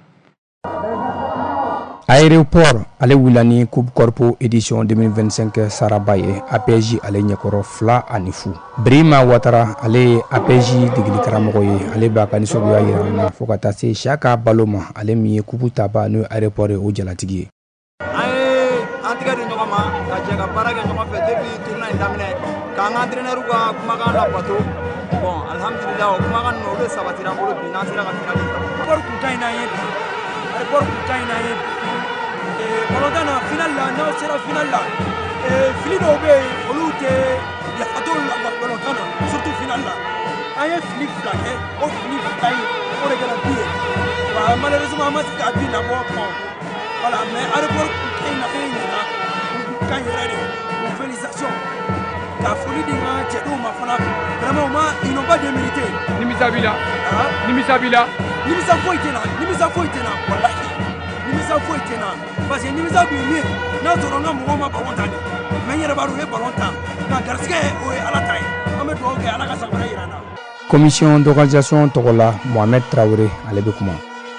Aéroport ale wulila ni Coupe Corpo édition deux mille vingt-cinq saraba ye A P E J ale ɲɛkɔrɔ fila ani fu. Birima Watara, ale ye A P E J degeli karamɔgɔ ye, ale b'a ka nisɔngoya yira an na fo ka taa se Siyaka Balo ma, ale min ye coupe taba n'o ye aéroport ye, o jalatigi ye. An ye an tigɛ di ɲɔgɔn ma ka jɛ ka baara kɛ ɲɔgɔn fɛ depuis tournoi in daminɛ, k'an ka entraîneur ka kumakan labato. Bon, alhamdulillah, o kumakan ninnu, olu de sabatira an bolo bi n'an sera ka finale ta. Aéroport kun ka ɲi n'an ye bi, aéroport kun ka ɲi n'an ye bi balontan na, finale la. N'aw sera finale la, fili dɔw bɛ yen, olu tɛ yafa t'olu la balontan na, surtout finale la. An ye fili fila kɛ, o fili fila in, o de kɛra but ye wa. Malheureusement, an ma se k'a but labɔ. Bon, voilà, mais aéroport kun ka ɲi na, fɛn ɲɛna, u kun ka ɲi yɛrɛ de. O félicitation ka foli di n ka cɛdenw ma fana. Vraiment, u ma, ils n'ont pas démérité. Nimisa b'i la? Nimisa b'i la? Nimisa foyi tɛ na, nimisa foyi tɛ na, walahi, nimisa foyi tɛ na, parce que nimisa kun ye min ye, n'a sɔrɔ n ka mɔgɔw ma ballon ta de. Mais n yɛrɛ b'a dɔn u ye ballon ta, nka garisɛgɛ, o ye Ala ta ye. An bɛ dugawu kɛ, Ala ka san wɛrɛ yira an na. Commission d'organisation tɔgɔ la, Mohamed Traoré, ale bɛ kuma.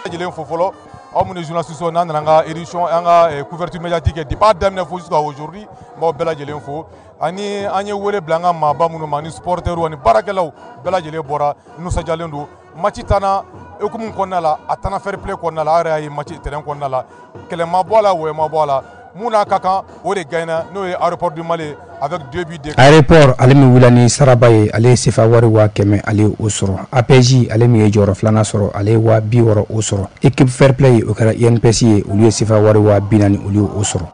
Lajɛlen fo fɔlɔ, aw minnu ye journaliste, n'an nana an ka édition, an ka couverture médiatique kɛ depuis a daminɛ fo jusqu'à aujourd'hui, n b'aw bɛɛ lajɛlen fo. Ani an ye wele bila an ka maaba minnu ma, ani supporters ani baarakɛlaw bɛɛ lajɛlen bɔra, nisɔndiyalen don. Match tanna hukumu kɔnɔna la, a tanna fair play kɔnɔna la. Aw yɛrɛ y'a ye match terrain kɔnɔna la, kɛlɛ ma bɔ a la, wɔyɔ ma bɔ a la. Mun n'a ka kan, o de gagnera, n'o ye Aéroport du Mali. A avec deux buts d'écart. Aéroport ale min wulila ni saraba ye, ale ye sefa wari waa kɛmɛ ale ye o sɔrɔ. A P J ale min ye jɔyɔrɔ filanan sɔrɔ, ale ye waa bi wɔɔrɔ o sɔrɔ. Équipe fair play, o kɛra I N P S ye, olu ye sefa wari waa bi naani olu ye o sɔrɔ.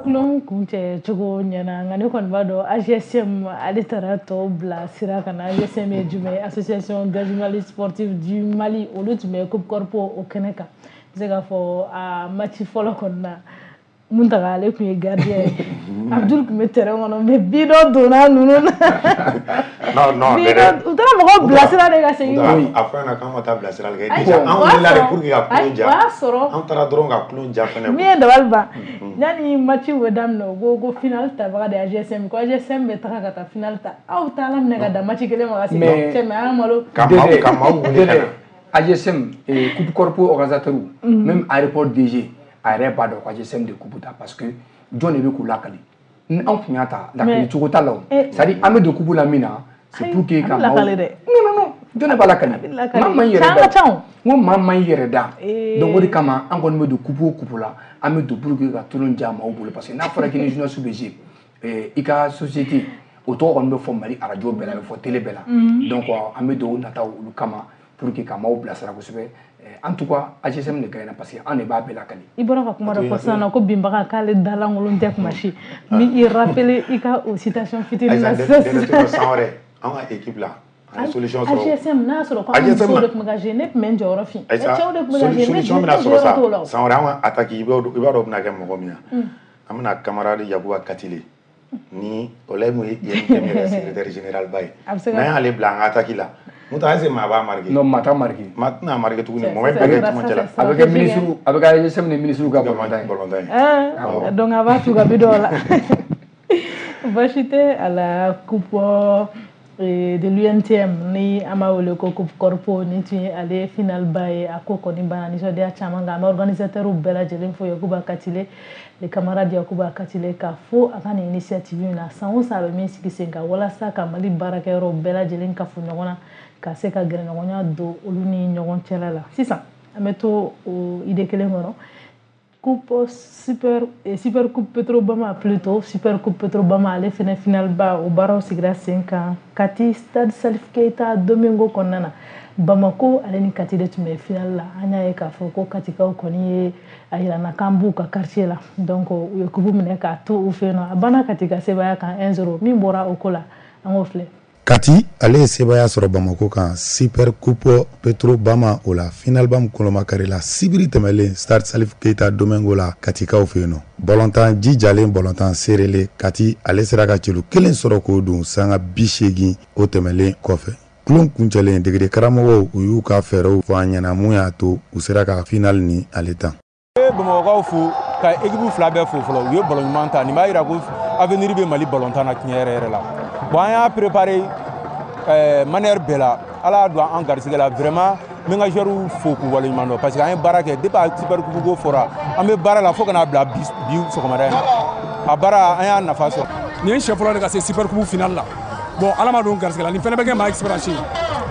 Kulon kuncɛ cogo ɲɛna, nka ne kɔni b'a dɔn A G S M ale taara tɔw bila sira kan na. A G S M ye jumɛn ye? Association des journalistes sportifs du Mali. Olu tun bɛ Coupe Corpo o kɛnɛ kan. N bɛ se k'a fɔ a match fɔlɔ kɔni na, Muntaga ale tun ye gardien ye, Abdul tun bɛ terrain kɔnɔ, mais bi dɔ donna ninnu na. Non, non. Bi dɔ u taara mɔgɔw bilasira de ka segin. A fɔ ɲɛna k'an ka taa bilasirali kɛ. Déjà an wulila de pour que ka kulon ja. O y'a sɔrɔ an taara dɔrɔn ka kulon ja fɛnɛ. Min ye dabali ban, yanni match bɛ daminɛ, u ko ko final tabaga de ye A G S M, ko A G S M bɛ taga ka taa final ta. Aw taala minɛ ka dan match kelen ma ka segin. Cɛ, mais an ka malo. Ka maaw ka maaw wele ka na. A G S M, Coupe Corpo organisateur, même aéroport D G a yɛrɛ b'a dɔn ko A G S M de coupe ta, parce que jɔn de bɛ k'u lakali? Ni anw tun y'a ta, lakali cogo t'a la o. C'est à dire an bɛ don coupe la min na, c'est pour que ka maaw. Lakali dɛ. Non, non, non, jɔn de b'a lakali? Maa man yɛrɛ da. N ko maa man yɛrɛ da. Donc o de kama an kɔni bɛ don coupe o coupe la, an bɛ don pour que ka tulon diya maaw bolo, parce que n'a fɔra k'i ni journaliste bɛ jouer, i ka société o tɔgɔ kɔni bɛ fɔ Mali radio bɛɛ la, a bɛ fɔ télé bɛɛ la. Donc an bɛ don o nataw olu kama pour que ka maaw bilasira kosɛbɛ. En tout cas, A G S M de gagnera parce que an de b'a bɛɛ lakali. I bɔra ka kuma dɔ fɔ sisan nɔ ko binbaga k'ale dalankolon tɛ kuma si. N b'i rappeler i ka o citation fitinin na sisan. San wɛrɛ an ka équipe la, an ye solution sɔrɔ. A G S M n'a sɔrɔ ko an musow de tun bɛ ka jouer, ne tun bɛ n jɔyɔrɔ fin. Cɛw de tun bɛ ka jouer, ne solution bɛna sɔrɔ sa. San wɛrɛ an ka attaque, i b'a dɔn o bɛna kɛ mɔgɔ min na, an bɛna camarade Yakuba Katile ni o la mun ye I N T M yɛrɛ secrétaire général ba ye. N'an y'ale bila an ka attaque la, Muta, est-ce que maa b'a marqué? Non, maa t'a marqué. Maa tɛna marqué tuguni, mɔgɔ bɛɛ kɛ cɛmancɛ la. A bɛ kɛ ministre, a bɛ kɛ A G S M ni ministre ka balontan ye. Balontan ye. Donc a b'a tu ka bi dɔw la. Baasi tɛ a la. Coupe de l'U N T M ni an b'a wele ko Coupe Corpo, ni tun ye ale final ba ye. A ko kɔni banna nisɔndiya caman kan. An bɛ organisateur bɛɛ lajɛlen fo, Yakuba Katile, le camarade Yakuba Katile, ka fo a ka nin initiative in na. San o san a bɛ min sigi sen kan walasa ka Mali baarakɛyɔrɔw bɛɛ lajɛlen kafo ɲɔgɔn na, ka se ka gɛrɛɲɔgɔnya don olu ni ɲɔgɔn cɛla la. Sisan an bɛ to o idée kelen kɔnɔ. Coupe super super Coupe Petrobama plutôt, Super Coupe Petrobama, ale fɛnɛ final ba o baaraw sigira sen kan Kati, stade Salif Keita Domingo kɔnɔna na. Bamako ale ni Kati de tun bɛ final la. An y'a ye k'a fɔ ko Katikaw kɔni ye a yirana k'an b'u ka quartier la, donc u ye coupe minɛ k'a to u fɛ yen nɔ. A banna Kati ka sebaaya kan un zéro. Min bɔra o ko la, an k'o filɛ. Kati ale ye sebaaya sɔrɔ Bamako kan Super Coupe Petro Bama o la, finalba min kolomakari la sibiri tɛmɛlen stade Salif Keita Domingo la, Katikaw fɛ yen nɔ. Bɔlɔntan jijalen, bɔlɔntan seerelen, Kati ale sera ka celu kelen sɔrɔ k'o don sanga bi seegin o tɛmɛlen kɔfɛ. Kulon kuncɛlen, degere karamɔgɔw u y'u ka fɛɛrɛw fɔ an ɲɛna mun y'a to u sera ka final ni ale tan. Bamakɔkaw fo ka équipe fila bɛɛ fo fɔlɔ, u ye ballon ɲuman ta. Nin b'a yira ko avenir bɛ Mali ballon tan na tiɲɛ yɛrɛ yɛrɛ la. Bon, an y'a préparé euh, manière bɛɛ la, Ala y'a don an garisɛgɛ la. Vraiment, n bɛ n ka joueurs fo k'u waleɲuman dɔn, parce que an ye baara kɛ depuis a super coupe ko fɔra, an bɛ baara la fo ka n'a bila bi bi sɔgɔmada in na. A baara, an y'a nafa sɔrɔ. Nin ye siɲɛ fɔlɔ de ka se super coupe finale la. Bon, Ala ma don garisɛgɛ la, nin fɛnɛ bɛ kɛ maa expérience ye.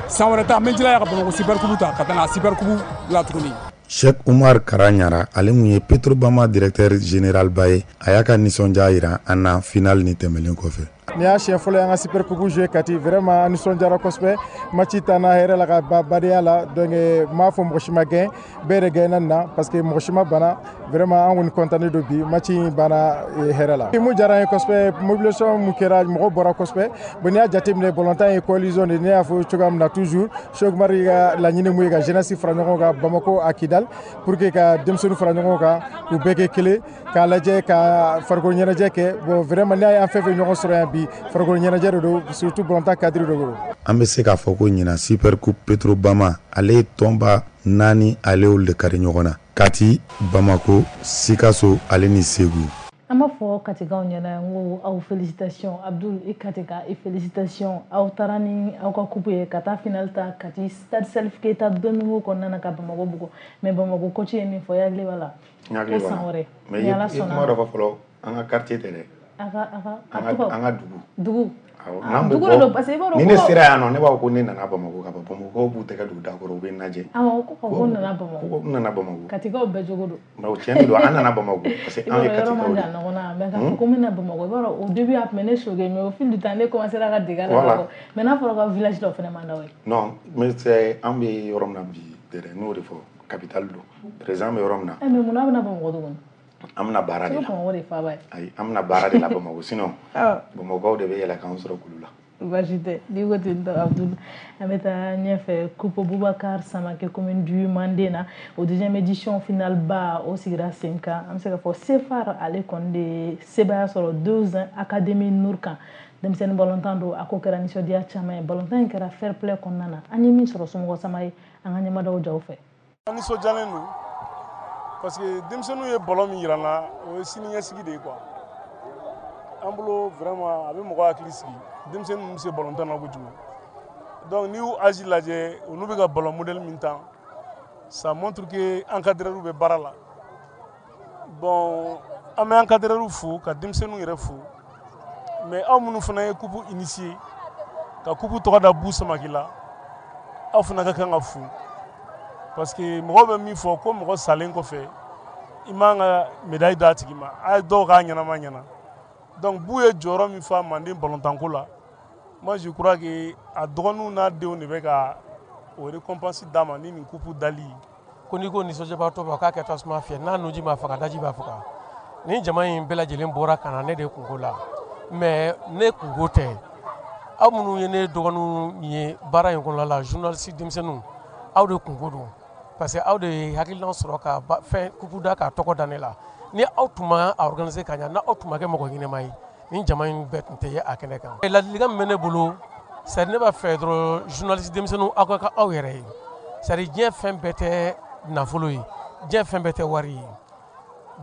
San wɛrɛ ta, n bɛ jilaja ka Bamakɔ super coupe ta ka taa n'a super coupe la tuguni. Cheikh Umar Kara Ɲara, ale mun ye Petrobama directeur général ba ye, a y'a ka nisɔndiya yira an na final ni tɛmɛlen kɔfɛ. Nin y'a siɲɛ fɔlɔ ye an ka super coupe jouer Kati. Vraiment, an nisɔndiyara kosɛbɛ. Match taana hɛrɛ la ka ba badenya la. Donc n m'a fɔ mɔgɔ si ma gɛn, bɛɛ de gɛnna nin na, parce que mɔgɔ si ma bana. Vraiment, an kɔni content don bi, match in banna hɛrɛ la. Mun diyara an ye kosɛbɛ, mobilisation mun kɛra, mɔgɔw bɔra kosɛbɛ. Bon, n'i y'a jateminɛ, balontan ye coalition de. Ne y'a fɔ cogoya min na toujours, Cheikh Umar ka laɲini mun ye ka jeunesse fara ɲɔgɔn kan Bamako a Kidal, pour que ka denmisɛnninw fara ɲɔgɔn kan, k'u bɛɛ kɛ kelen, k'a lajɛ ka farikolo ɲɛnajɛ kɛ. Bon, vraiment, n'i y'a ye an fɛn fɛn ɲɔgɔn sɔrɔ yan bi, farikolo ɲɛnajɛ de don, surtout balontan cadre de don. An bɛ se k'a fɔ ko ɲinan Super Coupe Petrobama ale ye tɔnba naani, ale y'olu de kari ɲɔgɔn na: Kati, Bamako, Sikaso ale ni Segu. An b'a fɔ Katikaw ɲɛna n ko aw félicitation. Abdul, i Katika, i félicitation. Aw taara ni aw ka coupe ye ka taa final ta Kati, stade Salif Keita Domingo kɔnɔna na, ka Bamako bugɔ. Mais Bamako coach ye min fɔ, i hakili b'a la? N hakili ko b'a la. San wɛrɛ mais ni i Ala ye sɔnna kuma dɔ fɔ fɔlɔ, an ka quartier tɛ dɛ. A ka a ka an a ka tɔgɔ an ka dugu. Dugu. N'an bɛ bɔ ni ne sera yan nɔ, ne b'a fɔ ko ne nana Bamakɔ ka ban. Bamakɔkaw b'u tɛgɛ don da kɔrɔ, u bɛ n lajɛ. Awɔ, ko ko n nana Bamakɔ. Ko n nana Bamakɔ. Katikaw bɛɛ cogo don. Mais o tiɲɛ de don, an nana Bamakɔ parce que an ye Katikaw de ye. Yɔrɔ man jan ɲɔgɔn na, mais k'a fɔ ko n bɛna Bamakɔ, i b'a dɔn au début a tun bɛ ne choquer, mais au fil du temps ne commencé ka dege a la. Mais n'a fɔra ko village dɔ fana man d'aw ye. Non, mais c'est an bɛ yɔrɔ min na bi dɛrɛ, n'o de fɔ capitale don. Président bɛ yɔrɔ min na. Eh mais mun na a bɛna Bamakɔ tuguni? An bɛna baara de la. Bamakɔ de faaba ye. Ayi, an bɛna baara de la Bamakɔ, sinon Bamakɔkaw de bɛ yɛlɛ k'an sɔrɔ kulu la. Baasi tɛ, n'i ko ten tɔ Abdul, an bɛ taa ɲɛfɛ. Coupe Boubacar Samake commune du Manden na, o deuxième édition finale ba o sigira sen kan. An bɛ se k'a fɔ Sefar ale kɔni de sebaaya sɔrɔ deux ans Académie Nour kan. Denmisɛnnin balontan don, a ko kɛra nisɔndiya caman ye. Balontan in kɛra fair play kɔnɔna na. An ye min sɔrɔ somɔgɔ sama ye, an ka ɲɛmadaw jaw fɛ. An nisɔndiyalen don parce que denmisɛnninw ye ballon min yira n na, o ye siniɲɛsigi de ye quoi. An bolo vraiment a bɛ mɔgɔ hakili sigi. Denmisɛnnin ninnu bɛ se ballon tan na kojugu. Donc n'i y'u âge lajɛ, olu bɛ ka ballon modèle min tan, ça montre que encadreur bɛ baara la. Bon, an bɛ encadreur fo ka denmisɛnninw yɛrɛ fo. Mais aw minnu fana ye coupe initier, ka coupe tɔgɔ da Bu Samake la, aw fana ka kan ka fo. Parce que mɔgɔw bɛ min fɔ ko mɔgɔ salen kɔfɛ, i man ka médaille d'a tigi ma. A ye dɔw k'a ɲɛnama ɲɛna. Donc Bu ye jɔyɔrɔ min fa Manden balontanko la, moi je crois que a dɔgɔninw n'a denw de bɛ ka o récompense d'a ma ni nin coupe dali ye. Ko n'i ko nisɔndiyabaatɔ b'a k'a kɛ tasuma fiyɛ, n'a nunji ma faga, daji b'a faga. Ni jama in bɛɛ lajɛlen bɔra ka na ne de kunko la, mais ne kunko tɛ. Aw minnu ye ne dɔgɔninw ye baara in kɔnɔna la, journaliste denmisɛnninw, aw de kunko don. Parce que aw de ye hakilina sɔrɔ ka fɛn coupe da k'a tɔgɔ da ne la. Ni aw tun ma a organiser ka ɲa, n'aw tun ma kɛ mɔgɔ ɲɛnama ye, ni jama in bɛɛ tun tɛ ye a kɛnɛ kan. Ladilikan min bɛ ne bolo, c'est à dire ne b'a fɛ dɔrɔn journaliste denmisɛnninw aw ka kɛ aw yɛrɛ ye. C'est à dire diɲɛ fɛn bɛɛ tɛ nafolo ye, diɲɛ fɛn bɛɛ tɛ wari ye.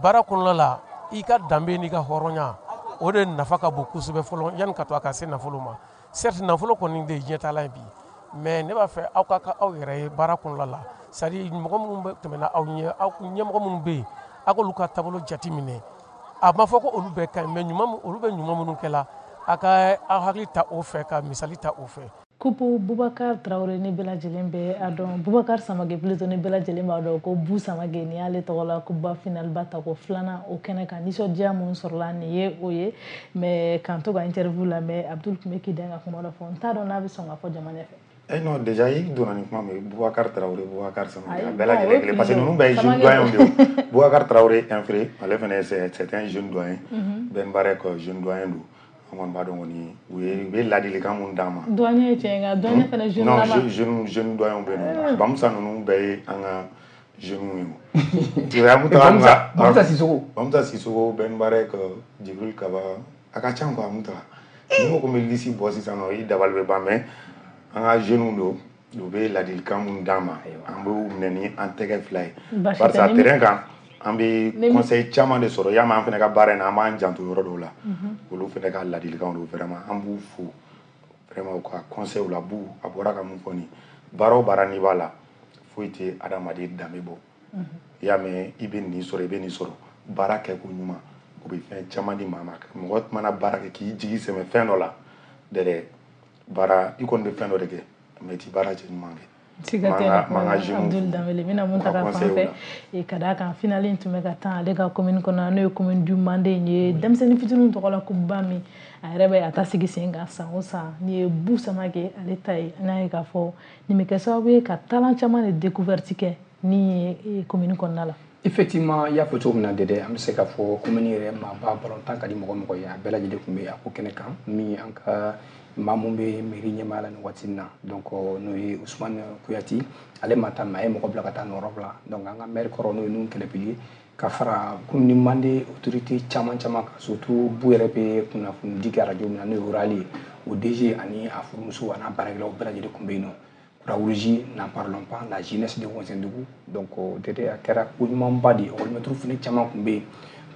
Baara kɔnɔna la, i ka danbe n'i ka hɔrɔnya, o de nafa ka bon kosɛbɛ fɔlɔ yanni ka to a ka se nafolo ma. Certes nafolo kɔni de ye diɲɛtaalan ye bi, mais ne b'a fɛ aw ka kɛ aw yɛrɛ ye baara kɔnɔna la. C'est à dire mɔgɔ minnu bɛ tɛmɛna aw ɲɛ, aw ɲɛmɔgɔ minnu bɛ yen, aw k'olu ka taabolo jate minɛ. A ma fɔ ko olu bɛɛ ka ɲi, mais ɲuman olu bɛ ɲuman minnu kɛ la, a ka aw hakili ta o fɛ, ka misali ta o fɛ. Coupe Boubacar Traoré ni bɛɛ lajɛlen bɛ a dɔn, Boubacar Samake plutôt ni bɛɛ lajɛlen b'a dɔn ko Bu Samake nin y'ale tɔgɔ la coupe finale ba ta ko filanan o kɛnɛ kan. Nisɔndiya mun sɔrɔla nin ye o ye, mais k'an to ka interview lamɛn, Abdul tun bɛ k'i den ka kuma dɔ fɔ, n t'a dɔn n'a bɛ sɔn ka fɔ jama ɲɛfɛ. Eh non, déjà i donna ni kuma min, Boubacar Traoré, Boubacar Samake, a bɛɛ lajɛlen kelen, parce que ninnu bɛɛ ye jeune doyen de ye. Boubacar Traoré infré, ale fana c'est un jeune doyen. Ben Barek jeune doyen don. An kɔni b'a dɔn kɔni u ye u bɛ ladilikan mun d'an ma. Doyen ye tiɲɛ nka doyen fana jeune lama. Non, jeune jeune doyen bɛ yen nɔ. Bamusa ninnu bɛɛ ye an ka jeunes ye o. Tu vois, Bamusa Bamusa Sissoko. Bamusa Sissoko, Ben Barek, Djibril Kaba, a ka ca quoi Muta. Ni ko ko n bɛ liste bɔ sisan nɔ, i dabali bɛ ban, mais an ka jeunes don, u bɛ ladilikan mun d'an ma, an b'u minɛ ni an tɛgɛ fila ye. Barisa terrain kan, an bɛ conseil caman de sɔrɔ. Y'a mɛn, an fana ka baara in na, an b'an janto yɔrɔ dɔw la. Olu fana ka ladilikanw don, vraiment an b'u fo vraiment u ka conseil la. Bu a bɔra ka mun fɔ nin, baara o baara n'i b'a la, foyi tɛ adamaden danbe bɔ. I y'a mɛn, i bɛ nin sɔrɔ, i bɛ nin sɔrɔ, baara kɛko ɲuman, o bɛ fɛn caman di maa ma. Mɔgɔ mana baara kɛ k'i jigi sɛmɛ fɛn dɔ la dɛrɛ, baara i kɔni bɛ fɛn dɔ de kɛ, mais i ti baara cɛ ɲuman kɛ. Siga tɛ na Abdul Dambele, n bɛna mun ta ka fan fɛ ka d'a kan finale in tun bɛ ka tan ale ka commune kɔnɔ, n'o ye commune du Manden ye, denmisɛnnin fitininw tɔgɔ la coupe ba min a yɛrɛ bɛ a ta sigi sen kan san o san, nin ye Bu Samake ale ta ye. An y'a ye k'a fɔ nin bɛ kɛ sababu ye ka talent caman de découverte kɛ ni ye commune kɔnɔna la. Effectivement, i y'a fɔ cogo min na Dɛdɛ, an bɛ se k'a fɔ commune yɛrɛ maaba balontan ka di mɔgɔ mɔgɔ ye, a bɛɛ lajɛlen tun bɛ a ko kɛnɛ kan. Min an ka maa mun bɛ mairie ɲɛmaaya la nin waati in na, donc n'o ye Ousmane Kouyaté, ale ma taa, mais a ye mɔgɔ bila ka taa nɔrɔ bila. Donc an ka maire kɔrɔ n'o ye Nuhu Kɛlɛpili, ka fara commune Manden autorité caman caman kan, surtout Bu yɛrɛ bɛ kunnafoni di kɛ radio min na n'o ye Oral ye, o D G ani a furumuso a n'a baarakɛlaw bɛɛ lajɛlen tun bɛ yen nɔ. Croix-Rouge, n'en parlons pas, la jeunesse de Wɛnzɛndugu. Donc Dɛdɛ, a kɛra ko ɲumanba de ye. École fana caman tun bɛ yen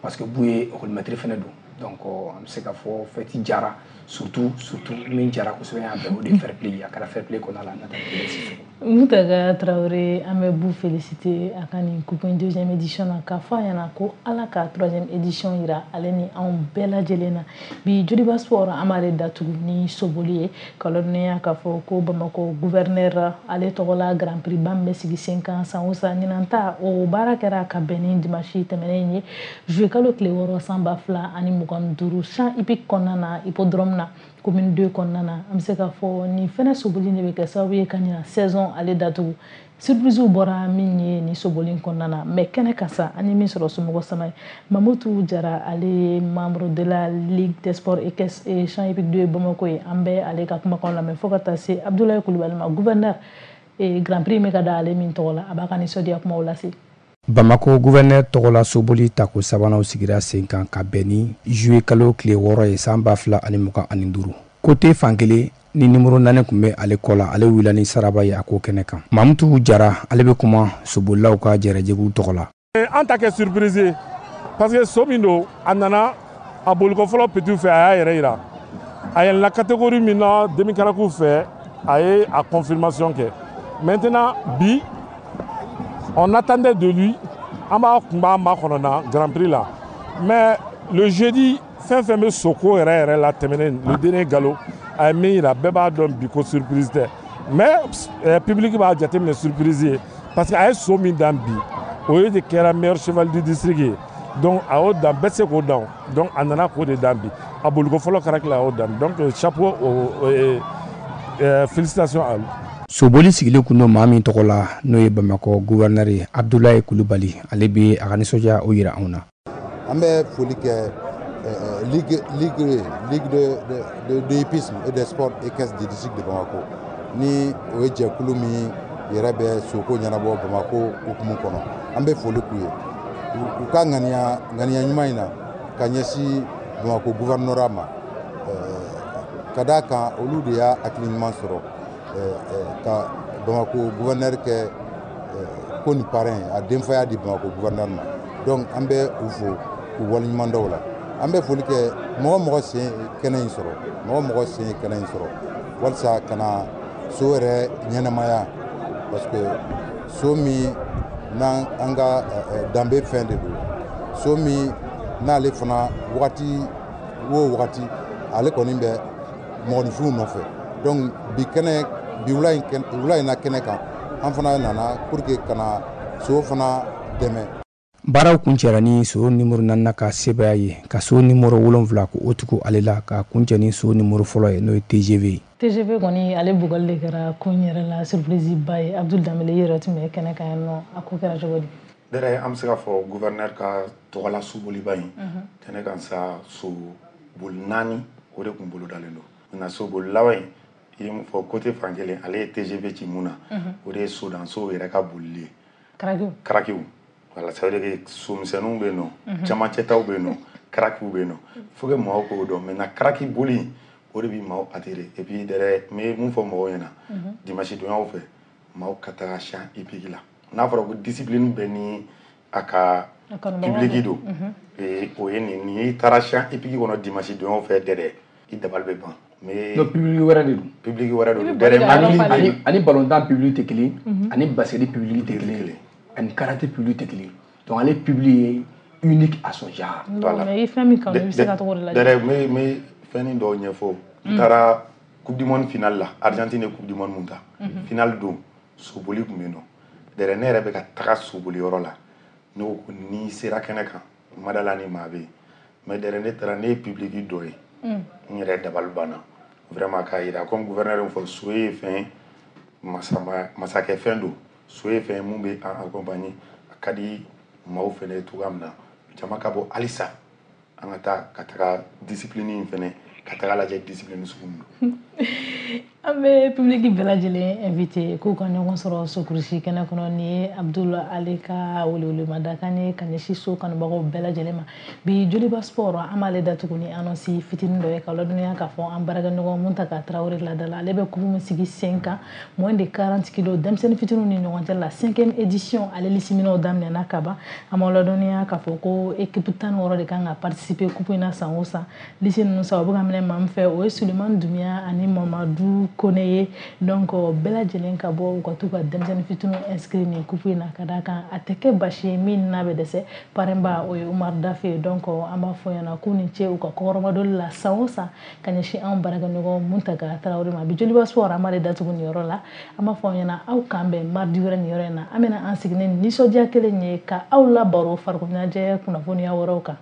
parce que Bu ye école maître fana don. Donc an bɛ se k'a fɔ fête jara. Surtout surtout min jara kosɛbɛ yan bɛɛ, o de ye fair play. A kɛra fair play kɔnɔna la. Nata Sissoko. Mutaga Traoré, an bɛ bu féliciter a ka nin coupe in deuxième édition na, k'a fɔ a ɲɛna ko Ala ka troisième édition yira ale ni anw bɛɛ lajɛlen na. Bi Joliba Sport, an b'ale datugu ni soboli ye, ka ladɔnniya k'a fɔ ko Bamakɔ gouverneur ale tɔgɔ la Grand Prix ba min bɛ sigi sen kan san o san, ɲinan ta o baara kɛra ka bɛn ni dimanche tɛmɛnen ye, juillet kalo tile wɔɔrɔ san ba fila ani mugan ni duuru, champ hippique kɔnɔna na, hippodrome na, commune deux kɔnɔna na. An bɛ se k'a fɔ nin fɛnɛ soboli de bɛ kɛ sababu ye ka ɲina saison ale datugu. Surprise bɔra min ye nin soboli kɔnɔna na, mais kɛnɛ kan sa, an ye min sɔrɔ, somɔgɔ sama ye Mamutu Jara, ale ye membre de la Ligue des sports équestres et champ hippique deux Bamako ye. An bɛ ale ka kumakan lamɛn fo ka taa se Abdoulaye Kulubali ma, gouverneur et Grand Prix bɛ ka da ale min tɔgɔ la, a b'a ka nisɔndiya kumaw lase. Bamako gouverneur tɔgɔla soboli tako sabananw sigira sen kan ka bɛn ni juillet kalo tile wɔɔrɔ ye san ba fila ani mugan ani duuru. Kote fankelen ni nimoro naani tun bɛ ale kɔ la, ale wulila ni saraba ye a ko kɛnɛ kan. Mamutu Jara, ale bɛ kuma sobolilaw ka jɛrɛjɛkulu tɔgɔ la. An ta kɛ surprise ye parce que so min don, a nana a boliko fɔlɔ petit fɛ, a y'a yɛrɛ yira. A yɛlɛnna catégorie min na demi-karaku fɛ, a ye a confirmation kɛ. Maintenant bi, on attendait de lui, an b'a kun b'a makɔnɔ na Grand Prix la, mais le jeudi, fɛn fɛn bɛ soko yɛrɛ yɛrɛ la tɛmɛnen, le dernier galop, a ye min yira, bɛɛ b'a dɔn bi ko surprise tɛ, mais eh, public b'a jateminɛ surprise ye parce que a ye so min dan bi, o ye de kɛra meilleur cheval du district ye. Donc a y'o dan, bɛɛ tɛ se k'o dan. Donc a nana k'o de dan bi, a boliko fɔlɔ kɛra a y'o dan. Donc chapeau au, euh, félicitations à lui. Soboli sigilen kun don maa min tɔgɔ la, n'o ye Bamakɔ gouverneur ye, Abdoulaye Kulubali, ale bɛ a ka nisɔndiya o yira anw na. An bɛ foli kɛ ligue ligue ligue de de de hippisme et des sports équestres du district de Bamako, ni o ye jɛkulu min yɛrɛ bɛ soko ɲɛnabɔ Bamako hukumu kɔnɔ. An bɛ foli k'u ye u ka ŋaniya ŋaniya ɲuman in na ka ɲɛsin Bamako gouvernorat ma, ka d'a kan olu de y'a hakili ɲuman sɔrɔ ka Bamako gouverneur kɛ ko ni parrain, a denfaya di Bamako gouverneur ma. Donc an bɛ u fo k'u waleɲuman dɔn o la. An bɛ foli kɛ mɔgɔ mɔgɔ sen kɛnɛ in sɔrɔ, mɔgɔ mɔgɔ sen ye kɛnɛ in sɔrɔ walasa ka na so yɛrɛ ɲɛnamaya, parce que so min n'an an ka danbe fɛn de don, so min n'ale fana wagati o wagati ale kɔni bɛ mɔgɔninfinw nɔfɛ. Donc bi kɛnɛ bi wula in wula in na kɛnɛ kan, an fana nana pour que ka na so fana dɛmɛ. Baaraw kuncɛra ni so nimoro naaninan ka sebaya ye, ka so nimoro wolonfila ko o tugu ale la, ka kuncɛ ni so nimoro fɔlɔ ye, n'o ye T G V ye. T G V kɔni, ale bugɔli de kɛra ko in yɛrɛ la surprise ba ye. Abdul Danbele, i yɛrɛ tun bɛ kɛnɛ kan yan nɔ, a ko kɛra cogo di? Dɛrɛ, an bɛ se k'a fɔ gouverneur ka tɔgɔla soboliba in kɛnɛ kan sa, so boli naani o de kun bolo dalen don nka soboli laban in, i ye mun fɔ, côté fan kelen, ale ye T G V ci mun na, o de ye sodansow yɛrɛ ka bolili ye. Karakiw. Karakiw, voilà. Ça veut dire que somisɛnninw bɛ yen nɔ, camancɛtaw bɛ yen nɔ, karakiw bɛ yen nɔ. Faut que mɔgɔw k'o dɔn. Maintenant karaki boli, o de bi maaw attirer. Et puis dɛrɛ, n bɛ mun fɔ mɔgɔw ɲɛna, dimanche donyaw fɛ, maaw ka taga champ hippique la. N'a fɔra ko discipline bɛ ni a ka public don, o ye nin nin y'i taara champ hippique kɔnɔ dimanche donyaw fɛ dɛrɛ, i dabali bɛ ban. Mais non, public wɛrɛ de don. Public wɛrɛ de don dɛrɛ. ani ani ballontan public tɛ kelen, ani basket public tɛ kelen, ani karaté public tɛ kelen. Donc ale public ye unique à son genre. Voilà. Mais i fɛn min kanu, i bɛ se ka tɔgɔ de lajɛ. Dɛrɛ, n bɛ n bɛ fɛnnin dɔw ɲɛfɔ. N taara Coupe du monde finale la, Argentine ye Coupe du monde mun ta, finale don, soboli tun bɛ yen nɔ. Dɛrɛ, ne yɛrɛ bɛ ka taga soboli yɔrɔ la, ne ko ko n'i sera kɛnɛ kan, n ma da la ni maa bɛ yen, mais dɛrɛ, ne taara, ne ye public dɔ ye, n yɛrɛ dabali banna vraiment. K'a yira comme gouverneur fɔ, so ye fɛn masama masakɛ fɛn don, so ye fɛn mun bɛ an accompagner, a ka di maaw fɛnɛ ye cogoya min na, jama ka bɔ halisa, an ka taa ka taga discipline in fɛnɛ ka taga lajɛ, discipline sugu min don. An bɛ public bɛɛ lajɛlen invité k'u ka ɲɔgɔn sɔrɔ sokurusi kɛnɛ kɔnɔ. Nin ye Abdul ale ka welewelemadakan ye ka ɲɛsin so kanubagaw bɛɛ lajɛlen ma. Bi Joliba Sport, an b'ale datugu ni annonce fitinin dɔ ye, ka ladɔnniya k'a fɔ an baarakɛɲɔgɔn Muntaka Tarawele ladala, ale bɛ coupe min sigi sen kan, moins de quarante kilos, denmisɛnnin fitininw ni ɲɔgɔn cɛ la, cinquième édition, ale lisiminɛw daminɛna ka ban. An b'aw ladɔnniya k'a fɔ ko équipe tan ni wɔɔrɔ de kan ka participer coupe in na san o san. Liste ninnu sa, o bɛ ka minɛ. minɛ maa min fɛ, o ye Sulemani Dumiya ani Mamadu Kone ye. Donc bɛɛ lajɛlen ka bɔ u ka t'u ka denmisɛnnin fitininw inscrit nin coupe in na, ka d'a kan a tɛ kɛ basi ye min n'a bɛ dɛsɛ. Parrain ba, o ye Umar Dafe ye. Donc an b'a fɔ ɲɛna k'u ni ce u ka kɔkɔrɔmadoli la san o san ka ɲɛsin anw baarakɛɲɔgɔn Muntaga Tarawele ma. Bi Joliba Sport, an b'ale datugu nin yɔrɔ la. An b'a fɔ aw ɲɛna, aw k'an bɛn mardi wɛrɛ nin yɔrɔ in na. An bɛna an sigi ni nisɔndiya kelen ye ka aw labaro farikolo ɲɛnajɛ kunnafoniya wɛrɛw kan.